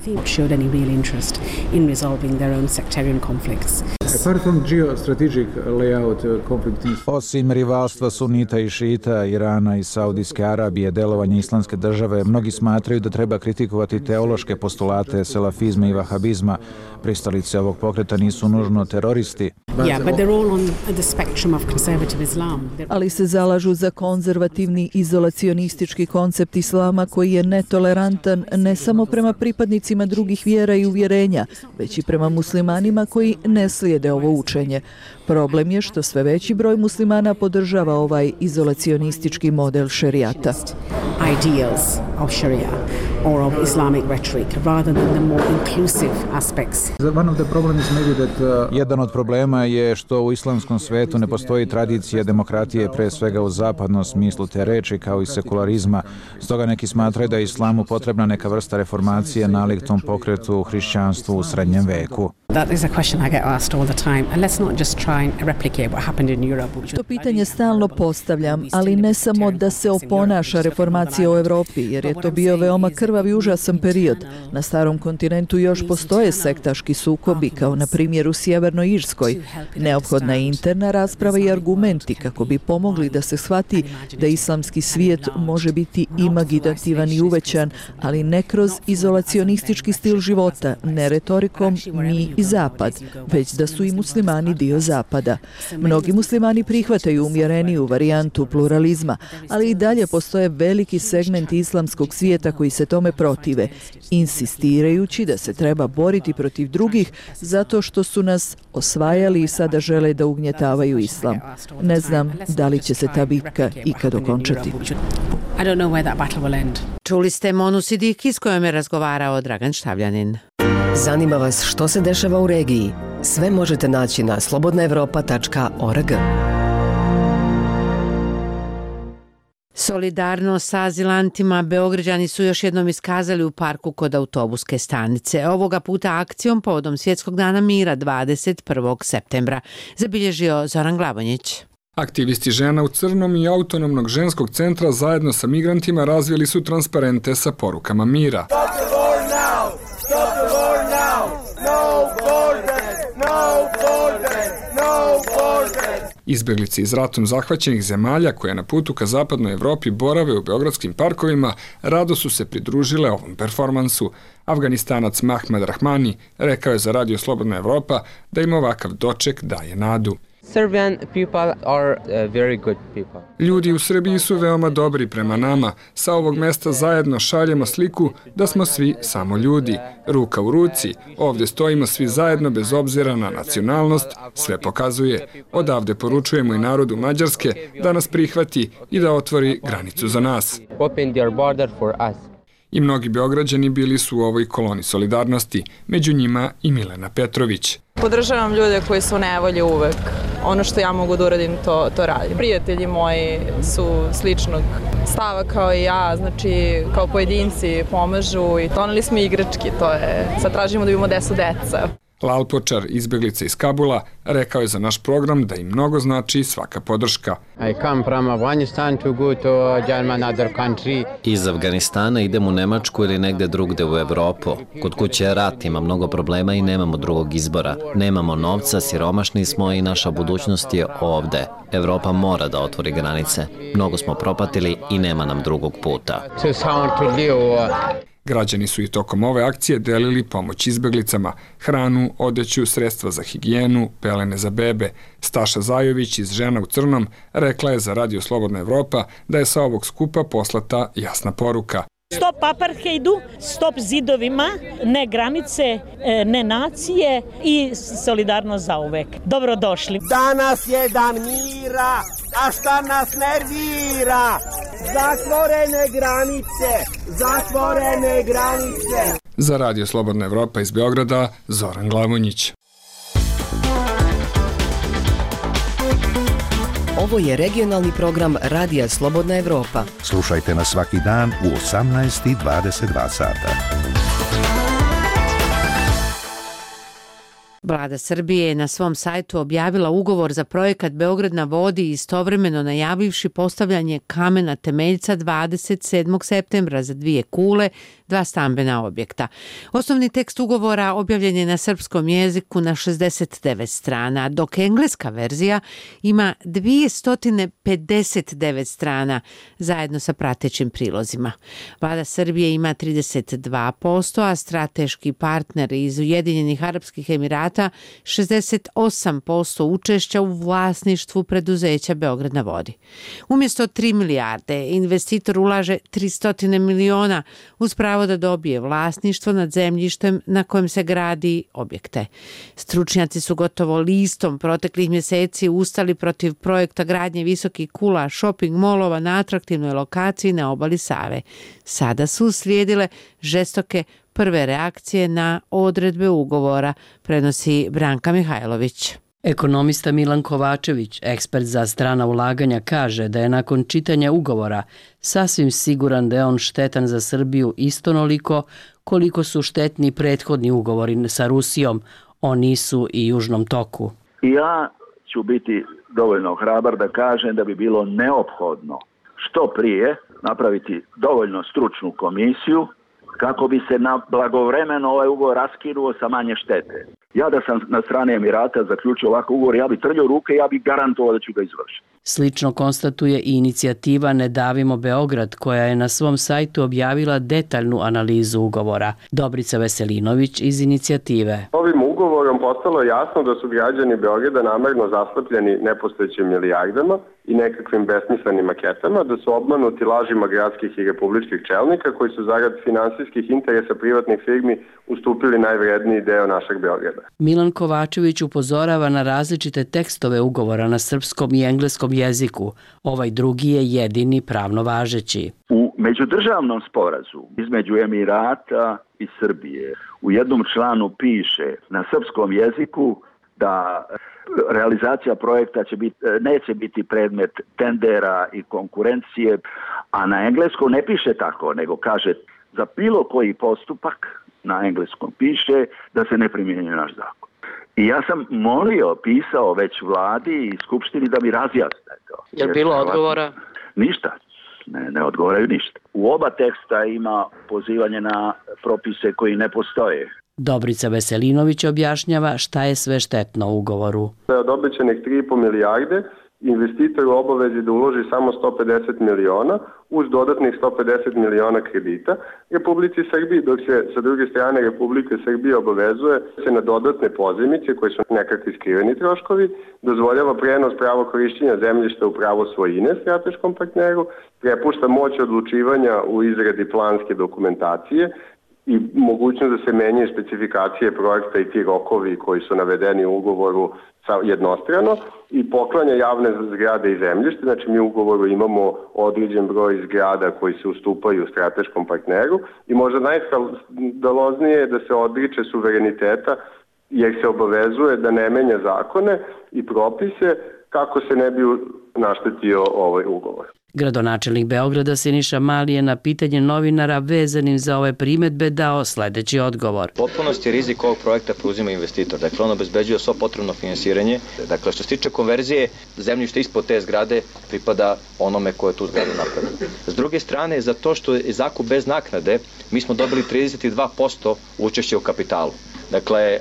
Osim rivalstva sunita i šita, Irana i Saudijske Arabije, delovanje islamske države, mnogi smatraju da treba kritikovati teološke postulate selafizma i vahabizma. Pristalice ovog pokreta nisu nužno teroristi. Ali se zalažu za konzervativni izolacionistički koncept islama koji je netolerantan ne samo prema pripadnicima drugih vjera i uvjerenja, već i prema muslimanima koji ne slijede ovo učenje. Problem je što sve veći broj muslimana podržava ovaj izolacionistički model šerijata. Ideals of Sharia or of Islamic rhetoric rather than the more inclusive aspects. Jedan od problema je što u islamskom svetu ne postoji tradicija demokratije, pre svega u zapadnom smislu te reči, kao i sekularizma. Stoga neki smatraju da je islamu potrebna neka vrsta reformacije nalik tom pokretu u hrišćanstvu u srednjem veku. That is a question I get asked all the time. And let's not just try and replicate what happened in Europe. To pitanje stalno postavljam, ali ne samo da se oponaša reformacija u Evropi, jer je to bio veoma krvav i užasan period. Na starom kontinentu još postoje sektaški sukobi, kao na primjer u Sjevernoj Irskoj. Neophodna je interna rasprava i argumenti kako bi pomogli da se shvati da islamski svijet može biti imaginativan i uvećan, ali ne kroz izolacionistički stil života, ne retorikom mi i zapad, već da su i muslimani dio zapada. Mnogi muslimani prihvataju umjereniju varijantu pluralizma, ali i dalje postoje veliki segment islamskog svijeta koji se tome protive, insistirajući da se treba boriti protiv drugih zato što su nas osvajali i sada žele da ugnjetavaju islam. Ne znam da li će se ta bitka ikad okončati. Čuli ste Monu Sidiki s kojom je razgovarao Dragan Štavljanin. Zanima vas što se dešava u regiji? Sve možete naći na slobodna evropa tačka org. Solidarnost sa azilantima Beograđani su još jednom iskazali u parku kod autobuske stanice. Ovoga puta akcijom povodom Svjetskog dana mira dvadeset prvog septembra. Zabilježio Zoran Glavonjić. Aktivisti žena u crnom i autonomnog ženskog centra zajedno sa migrantima razvili su transparente sa porukama mira. Stop the war now! Stop the war now! No borders! No borders! No borders! Izbjeglice iz ratom zahvaćenih zemalja koje na putu ka zapadnoj Evropi borave u beogradskim parkovima rado su se pridružile ovom performansu. Afganistanac Mahmad Rahmani rekao je za Radio Slobodna Evropa da im ovakav doček daje nadu. Serbian people are uh, very good people. Ljudi u Srbiji su veoma dobri prema nama. Sa ovog mesta zajedno šaljemo sliku da smo svi samo ljudi. Ruka u ruci. Ovdje stojimo svi zajedno bez obzira na nacionalnost. Sve pokazuje. Odavde poručujemo i narodu Mađarske da nas prihvati i da otvori granicu za nas. Open their border for us. I mnogi Beograđani bili su u ovoj koloni solidarnosti, među njima i Milena Petrović. Podržavam ljude koji su u nevolji uvek. Ono što ja mogu da uradim, to, to radim. Prijatelji moji su sličnog stava kao i ja, znači kao pojedinci pomažu i doneli smo igrački, to je, sad tražimo da imamo desu deca. Lalpočar, izbjeglica iz Kabula, rekao je za naš program da im mnogo znači svaka podrška. I come from Afghanistan to go to German other country. Iz Afganistana idem u Nemačku ili negde drugde u Evropu. Kod kuće je rat, ima mnogo problema i nemamo drugog izbora. Nemamo novca, siromašni smo i naša budućnost je ovde. Evropa mora da otvori granice. Mnogo smo propatili i nema nam drugog puta. Građani su i tokom ove akcije delili pomoć izbjeglicama, hranu, odeću, sredstva za higijenu, pelene za bebe. Staša Zajović iz Žena u crnom rekla je za Radio Slobodna Evropa da je sa ovog skupa poslata jasna poruka. Stop apartheidu, stop zidovima, ne granice, ne nacije i solidarnost zauvek. Dobrodošli. Danas je dan mira, a šta nas nervira? Zatvorene granice, zatvorene granice. Za Radio Slobodna Evropa iz Beograda, Zoran Glavonjić. Ovo je regionalni program Radija Slobodna Evropa. Slušajte nas svaki dan u osamnaest i dvadeset dva sata. Vlada Srbije je na svom sajtu objavila ugovor za projekat Beograd na vodi, istovremeno najavivši postavljanje kamena temeljca dvadeset sedmog septembra za dvije kule, dva stambena objekta. Osnovni tekst ugovora objavljen je na srpskom jeziku na šezdeset devet strana, dok engleska verzija ima dvjesto pedeset devet strana zajedno sa pratećim prilozima. Vlada Srbije ima trideset dva posto, a strateški partner iz Ujedinjenih Arapskih Emirata šezdeset osam posto učešća u vlasništvu preduzeća Beograd na vodi. Umjesto tri milijarde, investitor ulaže tristo miliona uz pravo da dobije vlasništvo nad zemljištem na kojem se gradi objekte. Stručnjaci su gotovo listom proteklih mjeseci ustali protiv projekta gradnje visokih kula shopping molova na atraktivnoj lokaciji na obali Save. Sada su slijedile žestoke prve reakcije na odredbe ugovora, prenosi Branka Mihajlović. Ekonomista Milan Kovačević, ekspert za strana ulaganja, kaže da je nakon čitanja ugovora sasvim siguran da je on štetan za Srbiju istonoliko koliko su štetni prethodni ugovori sa Rusijom o Nisu i Južnom toku. Ja ću biti dovoljno hrabar da kažem da bi bilo neophodno što prije napraviti dovoljno stručnu komisiju kako bi se na blagovremeno ovaj ugovor raskinuo sa manje štete. Ja da sam na strane Emirata zaključio ovakav ugovor, ja bi trljao ruke, ja bi garantovao da ću ga izvršiti. Slično konstatuje i inicijativa Ne davimo Beograd, koja je na svom sajtu objavila detaljnu analizu ugovora. Dobrica Veselinović iz inicijative. Ovim ugovorom postalo je jasno da su građani Beograda namerno zaslepljeni nepostojećim milijardama i nekakvim besmislenim maketama, da su obmanuti lažima gradskih i republičkih čelnika koji su zarad finansijskih interesa privatnih firmi ustupili najvredniji deo našeg Beograda. Milan Kovačević upozorava na različite tekstove ugovora na srpskom i engleskom jeziku. Ovaj drugi je jedini pravno važeći. U međudržavnom sporazumu između Emirata i Srbije u jednom članu piše na srpskom jeziku da realizacija projekta će biti, neće biti predmet tendera i konkurencije, A na engleskom ne piše tako, nego kaže za bilo koji postupak na engleskom piše da se ne primjenjuje naš zakon. I ja sam molio, pisao već vladi i skupštini da mi razjasne to. Je li bilo odgovora? Ništa. Ne, ne odgovaraju ništa. U oba teksta ima pozivanje na propise koji ne postoje. Dobrica Veselinović objašnjava šta je sve štetno u ugovoru. Od obećanih tri i po milijarde investitor u obavezi da uloži samo sto pedeset miliona uz dodatnih sto pedeset miliona kredita Republici Srbiji, dok se sa druge strane Republike Srbije obavezuje se na dodatne pozajmice koje su nekakvi skriveni troškovi, dozvoljava prenos pravo korišćenja zemljišta u pravo svojine strateškom partneru, prepušta moć odlučivanja u izradi planske dokumentacije i mogućnost da se menjaju specifikacije projekta i ti rokovi koji su navedeni u ugovoru jednostrano i poklanja javne zgrade i zemljište. Znači mi u ugovoru imamo određen broj zgrada koji se ustupaju strateškom partneru i možda najskandaloznije je da se odriče suvereniteta jer se obavezuje da ne menja zakone i propise kako se ne bi naštetio ovaj ugovor. Gradonačelnik Beograda Siniša Mali je na pitanje novinara vezanim za ove primetbe dao sledeći odgovor. Potpunosti rizik ovog projekta preuzima investitor. Dakle, on obezbeđuje svo potrebno finansiranje. Dakle, što se tiče konverzije, zemljište ispod te zgrade pripada onome ko je tu zgradu napravio. S druge strane, za to što je zakup bez naknade, mi smo dobili trideset dva posto učešća u kapitalu. Dakle,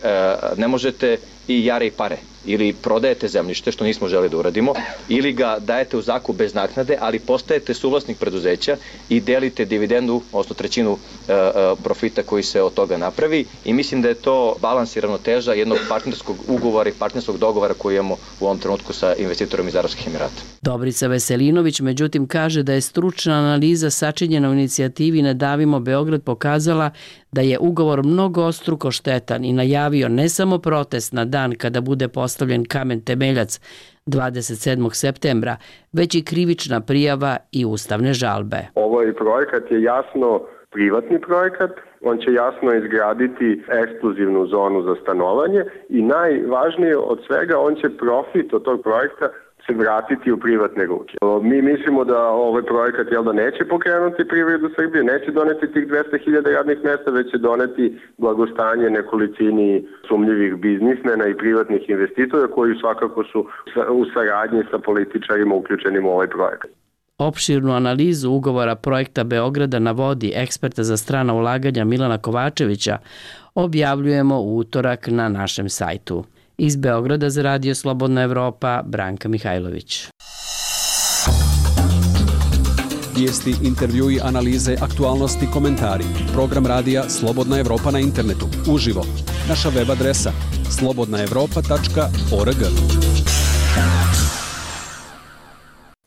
ne možete i jare i pare. Ili prodajete zemljište, što nismo želi da uradimo, ili ga dajete u zakup bez naknade, ali postajete suvlasnik preduzeća i delite dividendu, odnosno trećinu e, e, profita koji se od toga napravi. I mislim da je to balans i ravnoteža jednog partnerskog ugovora i partnerskog dogovora koji imamo u ovom trenutku sa investitorom iz Arapskih Emirata. Dobrica Veselinović međutim kaže da je stručna analiza sačinjena u inicijativi Ne davimo Beograd pokazala da je ugovor mnogostruko štetan i najavio ne samo protest na dan kada bude postavljen kamen temeljac dvadeset sedmog septembra, već i krivična prijava i ustavne žalbe. Ovaj projekat je jasno privatni projekat, on će jasno izgraditi ekskluzivnu zonu za stanovanje i najvažnije od svega, on će profit od tog projekta se vratiti u privatne ruke. Mi mislimo da ovaj projekat jel da neće pokrenuti privredu Srbije, neće doneti tih dvesta hiljada radnih mesta, već će doneti blagostanje nekolicini sumnjivih biznismena i privatnih investitora koji svakako su u saradnji sa političarima uključenim u ovaj projekat. Opširnu analizu ugovora projekta Beograda navodi eksperta za strana ulaganja Milana Kovačevića objavljujemo u utorak na našem sajtu. Iz Beograda za Radio Slobodna Evropa, Branka Mihajlović. Vijesti, intervjui, analize, aktualnosti, komentari. Program radija Slobodna Evropa na internetu. Uživo. Naša web adresa slobodna evropa tačka org.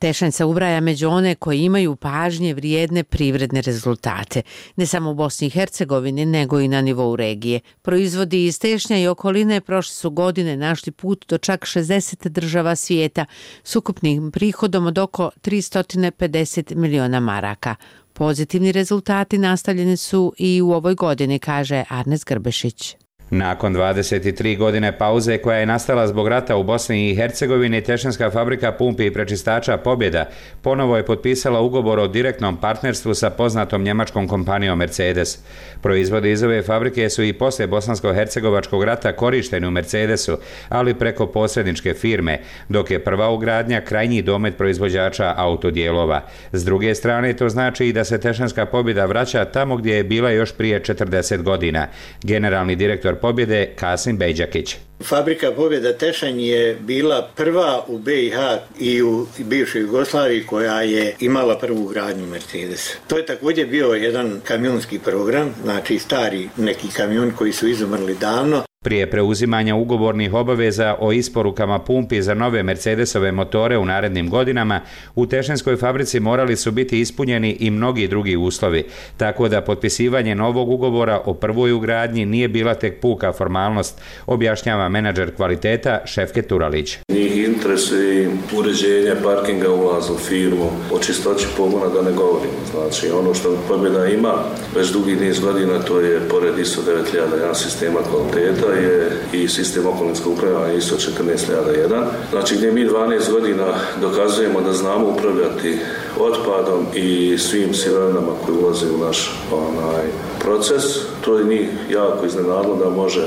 Tešanj se ubraja među one koji imaju pažnje vrijedne privredne rezultate, ne samo u Bosni i Hercegovini, nego i na nivou regije. Proizvodi iz Tešnja i okoline prošle su godine našli put do čak šezdeset država svijeta s ukupnim prihodom od oko tristo pedeset miliona maraka. Pozitivni rezultati nastavljeni su i u ovoj godini, kaže Arnes Grbešić. Nakon dvadeset tri godine pauze koja je nastala zbog rata u Bosni i Hercegovini, Tešanska fabrika pumpi i prečistača Pobjeda ponovo je potpisala ugovor o direktnom partnerstvu sa poznatom njemačkom kompanijom Mercedes. Proizvodi iz ove fabrike su i poslije bosansko-hercegovačkog rata korišteni u Mercedesu, ali preko posredničke firme, dok je prva ugradnja krajnji domet proizvođača autodijelova. S druge strane, to znači i da se Tešanska Pobjeda vraća tamo gdje je bila još prije četrdeset godina. Generalni direktor Pobjede Kasim Bejđakić. Fabrika Pobjeda Tešanj je bila prva u B i H i u bivšoj Jugoslaviji koja je imala prvu gradnju Mercedesa. To je također bio jedan kamionski program, znači stari neki kamion koji su izumrli davno. Prije preuzimanja ugovornih obaveza o isporukama pumpi za nove Mercedesove motore u narednim godinama, u Tešanskoj fabrici morali su biti ispunjeni i mnogi drugi uslovi, tako da potpisivanje novog ugovora o prvoj ugradnji nije bila tek puka formalnost, objašnjava menadžer kvaliteta Šefket Turalić. Njih interesuje uređenje parkinga ulaza u firmu, o čistoći pogona da ne govorimo. Znači ono što Pobjeda ima već dugi niz godina, to je pored I S O devet hiljada jedan sistema kvaliteta je i sistem okolinskog upravljanja I S O četrnaest hiljada jedan. Znači gdje mi dvanaest godina dokazujemo da znamo upravljati otpadom i svim sirovinama koji ulaze u naš onaj proces. To je njih jako iznenadilo da može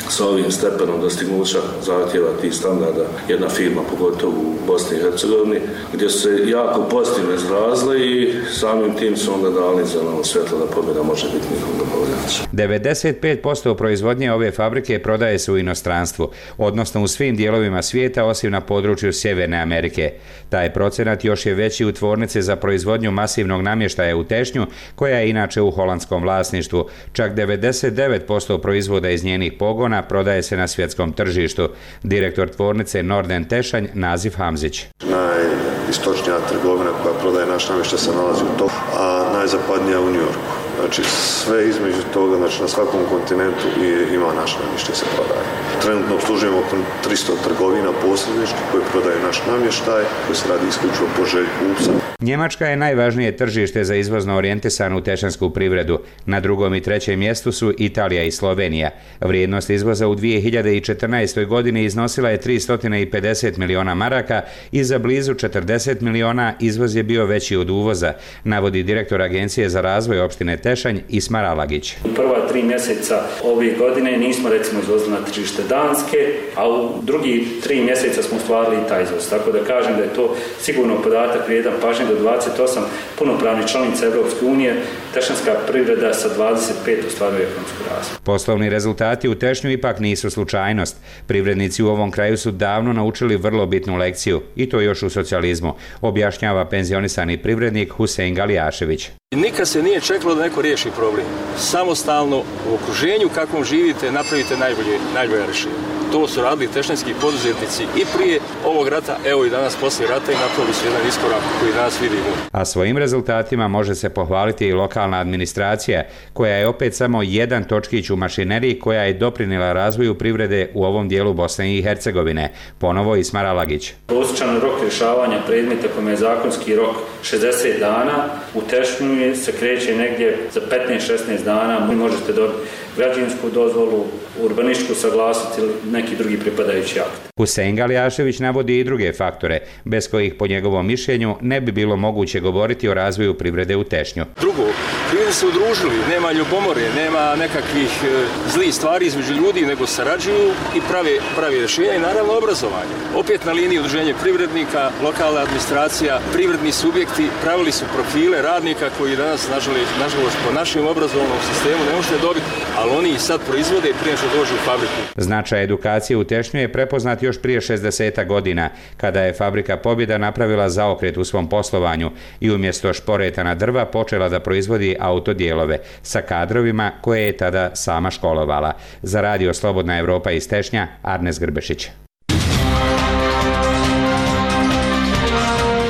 sa ovim stepenom dostignuća zahtjeva tih standarda jedna firma, pogotovo u Bosni i Hercegovini, gdje su se jako pozitivno izrazile i samim tim su onda dali zeleno svjetlo da pobjeda može biti njihov dobavljač. devedeset pet posto proizvodnje ove fabrike prodaje se u inostranstvu, odnosno u svim dijelovima svijeta osim na području Sjeverne Amerike. Taj procenat još je veći u tvornici za proizvodnju masivnog namještaja u Tešnju, koja je inače u holandskom vlasništvu. Čak devedeset devet posto proizvoda iz njenih pogona prodaje se na svjetskom tržištu. Direktor tvornice Norden Tešanj, Nazif Hamzić. Najistočnija trgovina koja prodaje naš namještaj se nalazi u Toku, a najzapadnija u New Yorku. Znači sve između toga, znači na svakom kontinentu ima naš namještaj se prodaje. Trenutno obslužujemo oko tristo trgovina posredničkih koji prodaju naš namještaj, koji se radi isključivo po želji kupca. Njemačka je najvažnije tržište za izvozno orijentisanu tešansku privredu. Na drugom i trećem mjestu su Italija i Slovenija. Vrijednost izvoza u dvije hiljade četrnaestoj. godini iznosila je tristo pedeset miliona maraka i za blizu četrdeset miliona izvoz je bio veći od uvoza, navodi direktor Agencije za razvoj opštine Tešanj Ismar Alagić. U prva tri mjeseca ove godine nismo recimo izvozili na tržište Danske, a u drugi tri mjeseca smo ostvarili i taj izvoz. Tako da kažem da je to sigurno podatak vrijedan pažnje do dvadeset osam punopravnih članica Evropske unije, tešanska privreda sa dvadeset pet ostvaruje ekonomsku razvoj. Poslovni rezultati u Tešnju ipak nisu slučajnost. Privrednici u ovom kraju su davno naučili vrlo bitnu lekciju, i to još u socijalizmu, objašnjava penzionisani privrednik Husein Galijašević. Nikad se nije čekalo da neko riješi problem. Samostalno u okruženju kakvom živite napravite najbolje, najbolje rješenje. To su radili tešnjanski poduzetnici i prije ovog rata, evo i danas poslije rata i napravili su jedan iskorak koji danas vidimo. A svojim rezultatima može se pohvaliti i lokalna administracija, koja je opet samo jedan točkić u mašineriji koja je doprinijela razvoju privrede u ovom dijelu Bosne i Hercegovine. Ponovo Ismar Alagić. Prosječan rok rješavanja predmeta kome je zakonski rok šezdeset dana, u Tešnju se kreće negdje za petnaest šesnaest dana. Vi možete dobiti građevinsku dozvolu, urbanističku saglasnost ili neki drugi pripadajući akt. Husein Galijašević navodi i druge faktore, bez kojih po njegovom mišljenju ne bi bilo moguće govoriti o razvoju privrede u Tešnju. Drugo, ljudi se udružili, nema ljubomore, nema nekakvih e, zlih stvari između ljudi, nego sarađuju i prave, prave rješenja i naravno obrazovanje. Opet na liniji udruženje privrednika, lokalna administracija, privredni subjekti pravili su profile radnika koji danas, nažalost, nažalost po našem obrazovnom sistemu ne možete dobiti, ali oni ih sad proizvode prije što dođu u fabriku. Značaj edukacije u Tešnju je prepoznat još prije šezdeset godina, kada je fabrika Pobjeda napravila zaokret u svom poslovanju i umjesto šporetana drva počela da proizvodi autodijelove sa kadrovima koje je tada sama školovala. Za radio Slobodna Evropa iz Tešnja, Arnes Grbešić.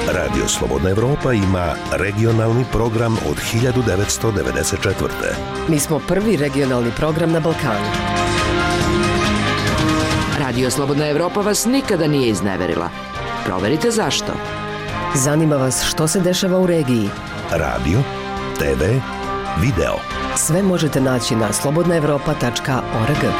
Radio Slobodna Evropa ima regionalni program od hiljadu devetsto devedeset četvrte. Mi smo prvi regionalni program na Balkanu. Radio Slobodna Evropa vas nikada nije izneverila. Proverite zašto. Zanima vas što se dešava u regiji. Radio, te ve, video. Sve možete naći na slobodna evropa tačka org.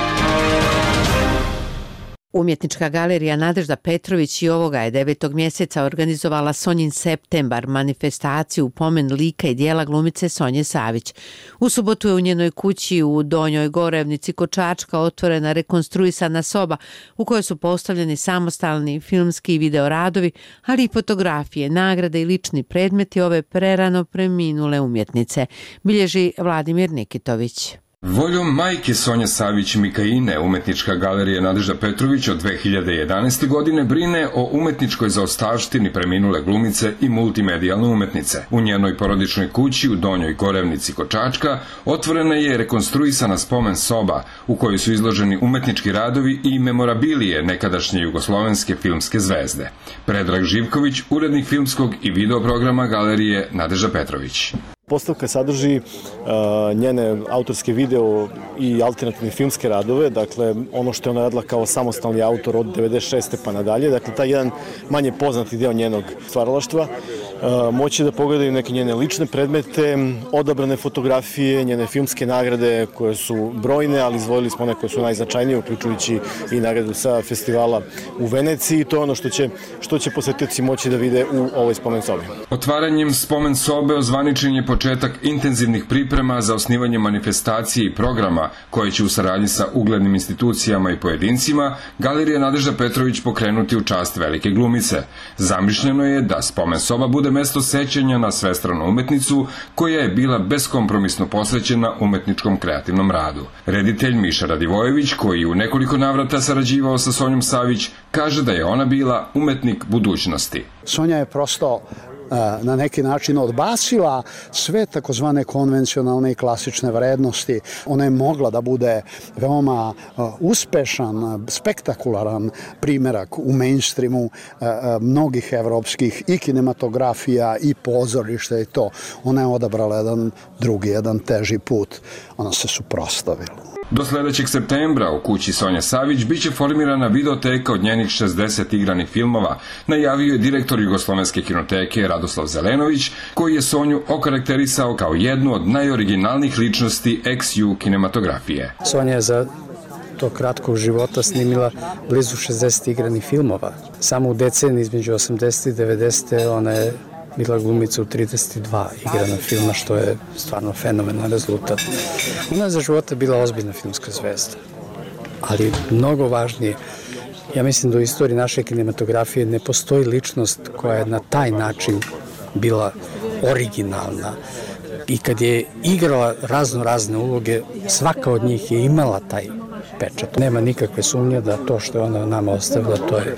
Umjetnička galerija Nadežda Petrović i ovoga je devetog mjeseca organizovala Sonjin septembar, manifestaciju u pomen lika i dijela glumice Sonje Savić. U subotu je u njenoj kući u Donjoj Gorevnici kod Čačka otvorena rekonstruisana soba u kojoj su postavljeni samostalni filmski i videoradovi, ali i fotografije, nagrade i lični predmeti ove prerano preminule umjetnice, bilježi Vladimir Nikitović. Voljom majke Sonje Savić Mikaine, umjetnička galerija Nadežda Petrović od dve hiljade jedanaeste. godine brine o umetničkoj zaostavštini preminule glumice i multimedijalne umetnice. U njenoj porodičnoj kući u Donjoj Gorevnici kod Čačka otvorena je rekonstruisana spomen soba u kojoj su izloženi umetnički radovi i memorabilije nekadašnje jugoslovenske filmske zvezde. Predrag Živković, urednik filmskog i video programa galerije Nadežda Petrović. postavka sadrži uh, njene autorske video i alternativne filmske radove, dakle ono što je ona radila kao samostalni autor od devedeset šeste pa nadalje, dakle taj jedan manje poznati deo njenog stvaralaštva. Uh, moći da pogledaju neke njene lične predmete, odabrane fotografije, njene filmske nagrade koje su brojne, ali izdvojili smo one koje su najznačajnije, uključujući i nagradu sa festivala u Veneciji. To je ono što će, što će posetioci moći da vide u ovoj spomen sobi. Otvaranjem spomen sobe ozvaničen je početak intenzivnih priprema za osnivanje manifestacije i programa koje će u saradnji sa uglednim institucijama i pojedincima Galerija Nadežda Petrović pokrenuti u čast velike glumice. Zamišljeno je da spomen soba bude mesto sećanja na svestranu umetnicu koja je bila beskompromisno posvećena umetničkom kreativnom radu. Reditelj Miša Radivojević, koji u nekoliko navrata sarađivao sa Sonjom Savić, kaže da je ona bila umetnik budućnosti. Sonja je prosto na neki način odbacila sve takozvane konvencionalne i klasične vrednosti. Ona je mogla da bude veoma uspešan, spektakularan primerak u mainstreamu mnogih evropskih i kinematografija i pozorišta i to. Ona je odabrala jedan drugi, jedan teži put. Ona se suprotstavila. Do sledećeg septembra u kući Sonje Savić biće formirana videoteka od njenih šezdeset igranih filmova, najavio je direktor Jugoslovenske kinoteke Radoslav Zelenović, koji je Sonju okarakterisao kao jednu od najoriginalnijih ličnosti ex-ju kinematografije. Sonja je za tog kratkog života snimila blizu šezdeset igranih filmova. Samo u deceniji između osamdesete i devedesete ona je bila glumica u trideset dva igrana filma, što je stvarno fenomenalan rezultat. Ona je za života bila ozbiljna filmska zvezda. Ali mnogo važnije, ja mislim da u istoriji naše kinematografije ne postoji ličnost koja je na taj način bila originalna. I kad je igrala razno razne uloge, svaka od njih je imala taj pečat. Nema nikakve sumnje da to što je ona nama ostavila, to je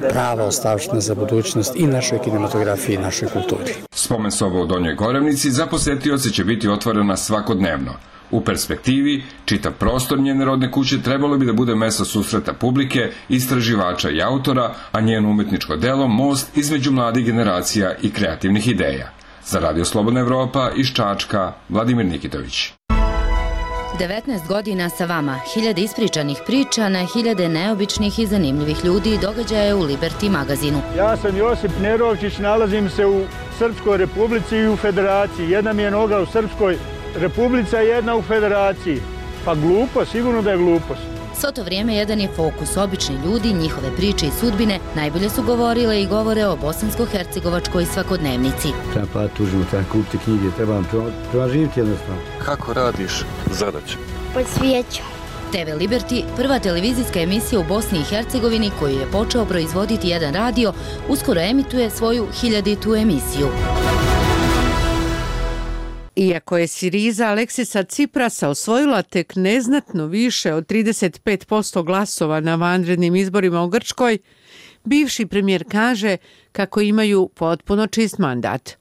prava ostavština za budućnost i našoj kinematografiji i našoj kulturi. Spomen soba u Donjoj Gorevnici za posetioce će biti otvorena svakodnevno. U perspektivi, čitav prostor njene rodne kuće trebalo bi da bude mesto susreta publike, istraživača i autora, a njeno umetničko delo most između mladih generacija i kreativnih ideja. Za Radio Slobodna Evropa iz Čačka, Vladimir Nikitović. devetnaest godina sa vama, hiljade ispričanih priča na hiljade neobičnih i zanimljivih ljudi i događaja u Liberty magazinu. Ja sam Josip Nerovčić, nalazim se u Srpskoj republici i u Federaciji. Jedna mi je noga u Srpskoj republici, a jedna u Federaciji. Pa glupo, sigurno da je glupost. Svo to vrijeme jedan je fokus. Obični ljudi, njihove priče i sudbine najbolje su govorile i govore o bosansko-hercegovačkoj svakodnevnici. Treba pa tužimo, treba kupiti knjige, treba, treba živjeti jednostavno. Kako radiš zadaću? Pod svijećom. te ve Liberty, prva televizijska emisija u Bosni i Hercegovini koju je počeo proizvoditi jedan radio, uskoro emituje svoju hiljaditu emisiju. Iako je Siriza Aleksisa Ciprasa osvojila tek neznatno više od trideset pet posto glasova na vanrednim izborima u Grčkoj, bivši premijer kaže kako imaju potpuno čist mandat.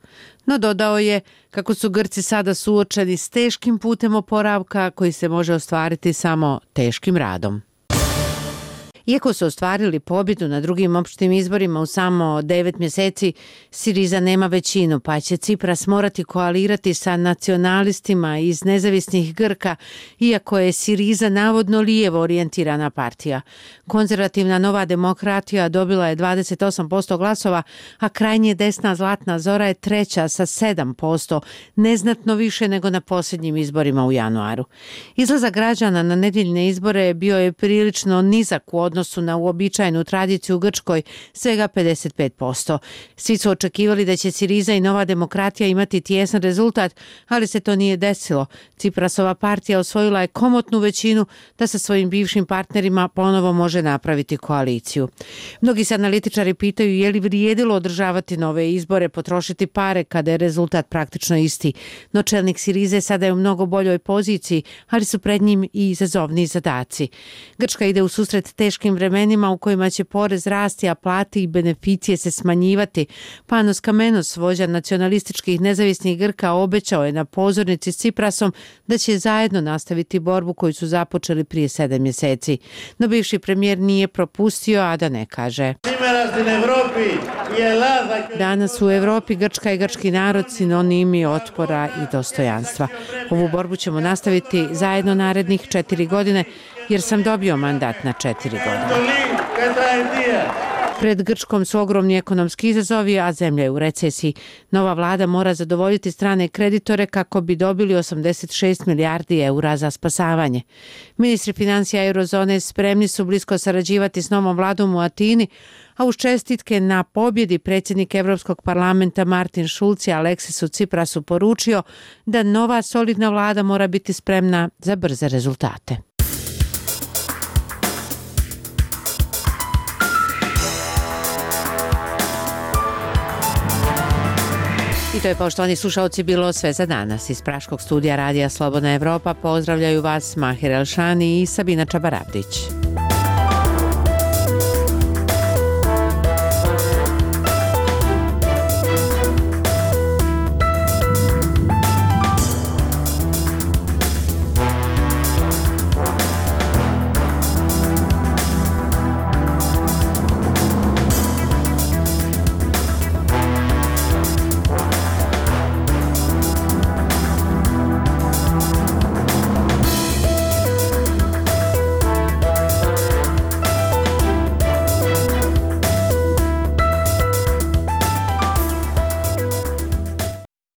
No dodao je kako su Grci sada suočeni s teškim putem oporavka koji se može ostvariti samo teškim radom. Iako su ostvarili pobjedu na drugim opštim izborima u samo devet mjeseci, Siriza nema većinu, pa će Cipras morati koalirati sa nacionalistima iz nezavisnih Grka, iako je Siriza navodno lijevo orijentirana partija. Konzervativna Nova demokratija dobila je dvadeset osam posto glasova, a krajnje desna Zlatna Zora je treća sa sedam posto, neznatno više nego na posljednjim izborima u januaru. Izlazak građana na nedjeljne izbore bio je prilično nizak u odnosu odnosu na uobičajenu tradiciju u Grčkoj, svega pedeset pet posto. Svi su očekivali da će Siriza i Nova demokratija imati tijesan rezultat, ali se to nije desilo. Ciprasova partija osvojila je komotnu većinu da sa svojim bivšim partnerima ponovo može napraviti koaliciju. Mnogi se analitičari pitaju je li vrijedilo održavati nove izbore, potrošiti pare kada je rezultat praktično isti. No čelnik Sirize sada je u mnogo boljoj poziciji, ali su pred njim i izazovni zadaci. Grčka ide u susret teškim teškim vremenima u kojima će porez rasti, a plate i beneficije se smanjivati. Panos Kamenos, vođa nacionalističkih nezavisnih Grka, obećao je na pozornici s Ciprasom da će zajedno nastaviti borbu koju su započeli prije sedam mjeseci. No bivši premijer nije propustio, a da ne kaže. Danas u Evropi Grčka i grčki narod sinonimi otpora i dostojanstva. Ovu borbu ćemo nastaviti zajedno narednih četiri godine, jer sam dobio mandat na četiri godine. Pred Grčkom su ogromni ekonomski izazovi, a zemlja je u recesiji. Nova vlada mora zadovoljiti strane kreditore kako bi dobili osamdeset šest milijardi eura za spasavanje. Ministri financija eurozone spremni su blisko sarađivati s novom vladom u Atini, a uz čestitke na pobjedi predsjednik Evropskog parlamenta Martin Schulz je Aleksisu Ciprasu poručio da nova solidna vlada mora biti spremna za brze rezultate. I to je, poštovani slušalci, bilo sve za danas. Iz Praškog studija Radija Slobodna Evropa pozdravljaju vas Mahir Elšani i Sabina Čabarabdić.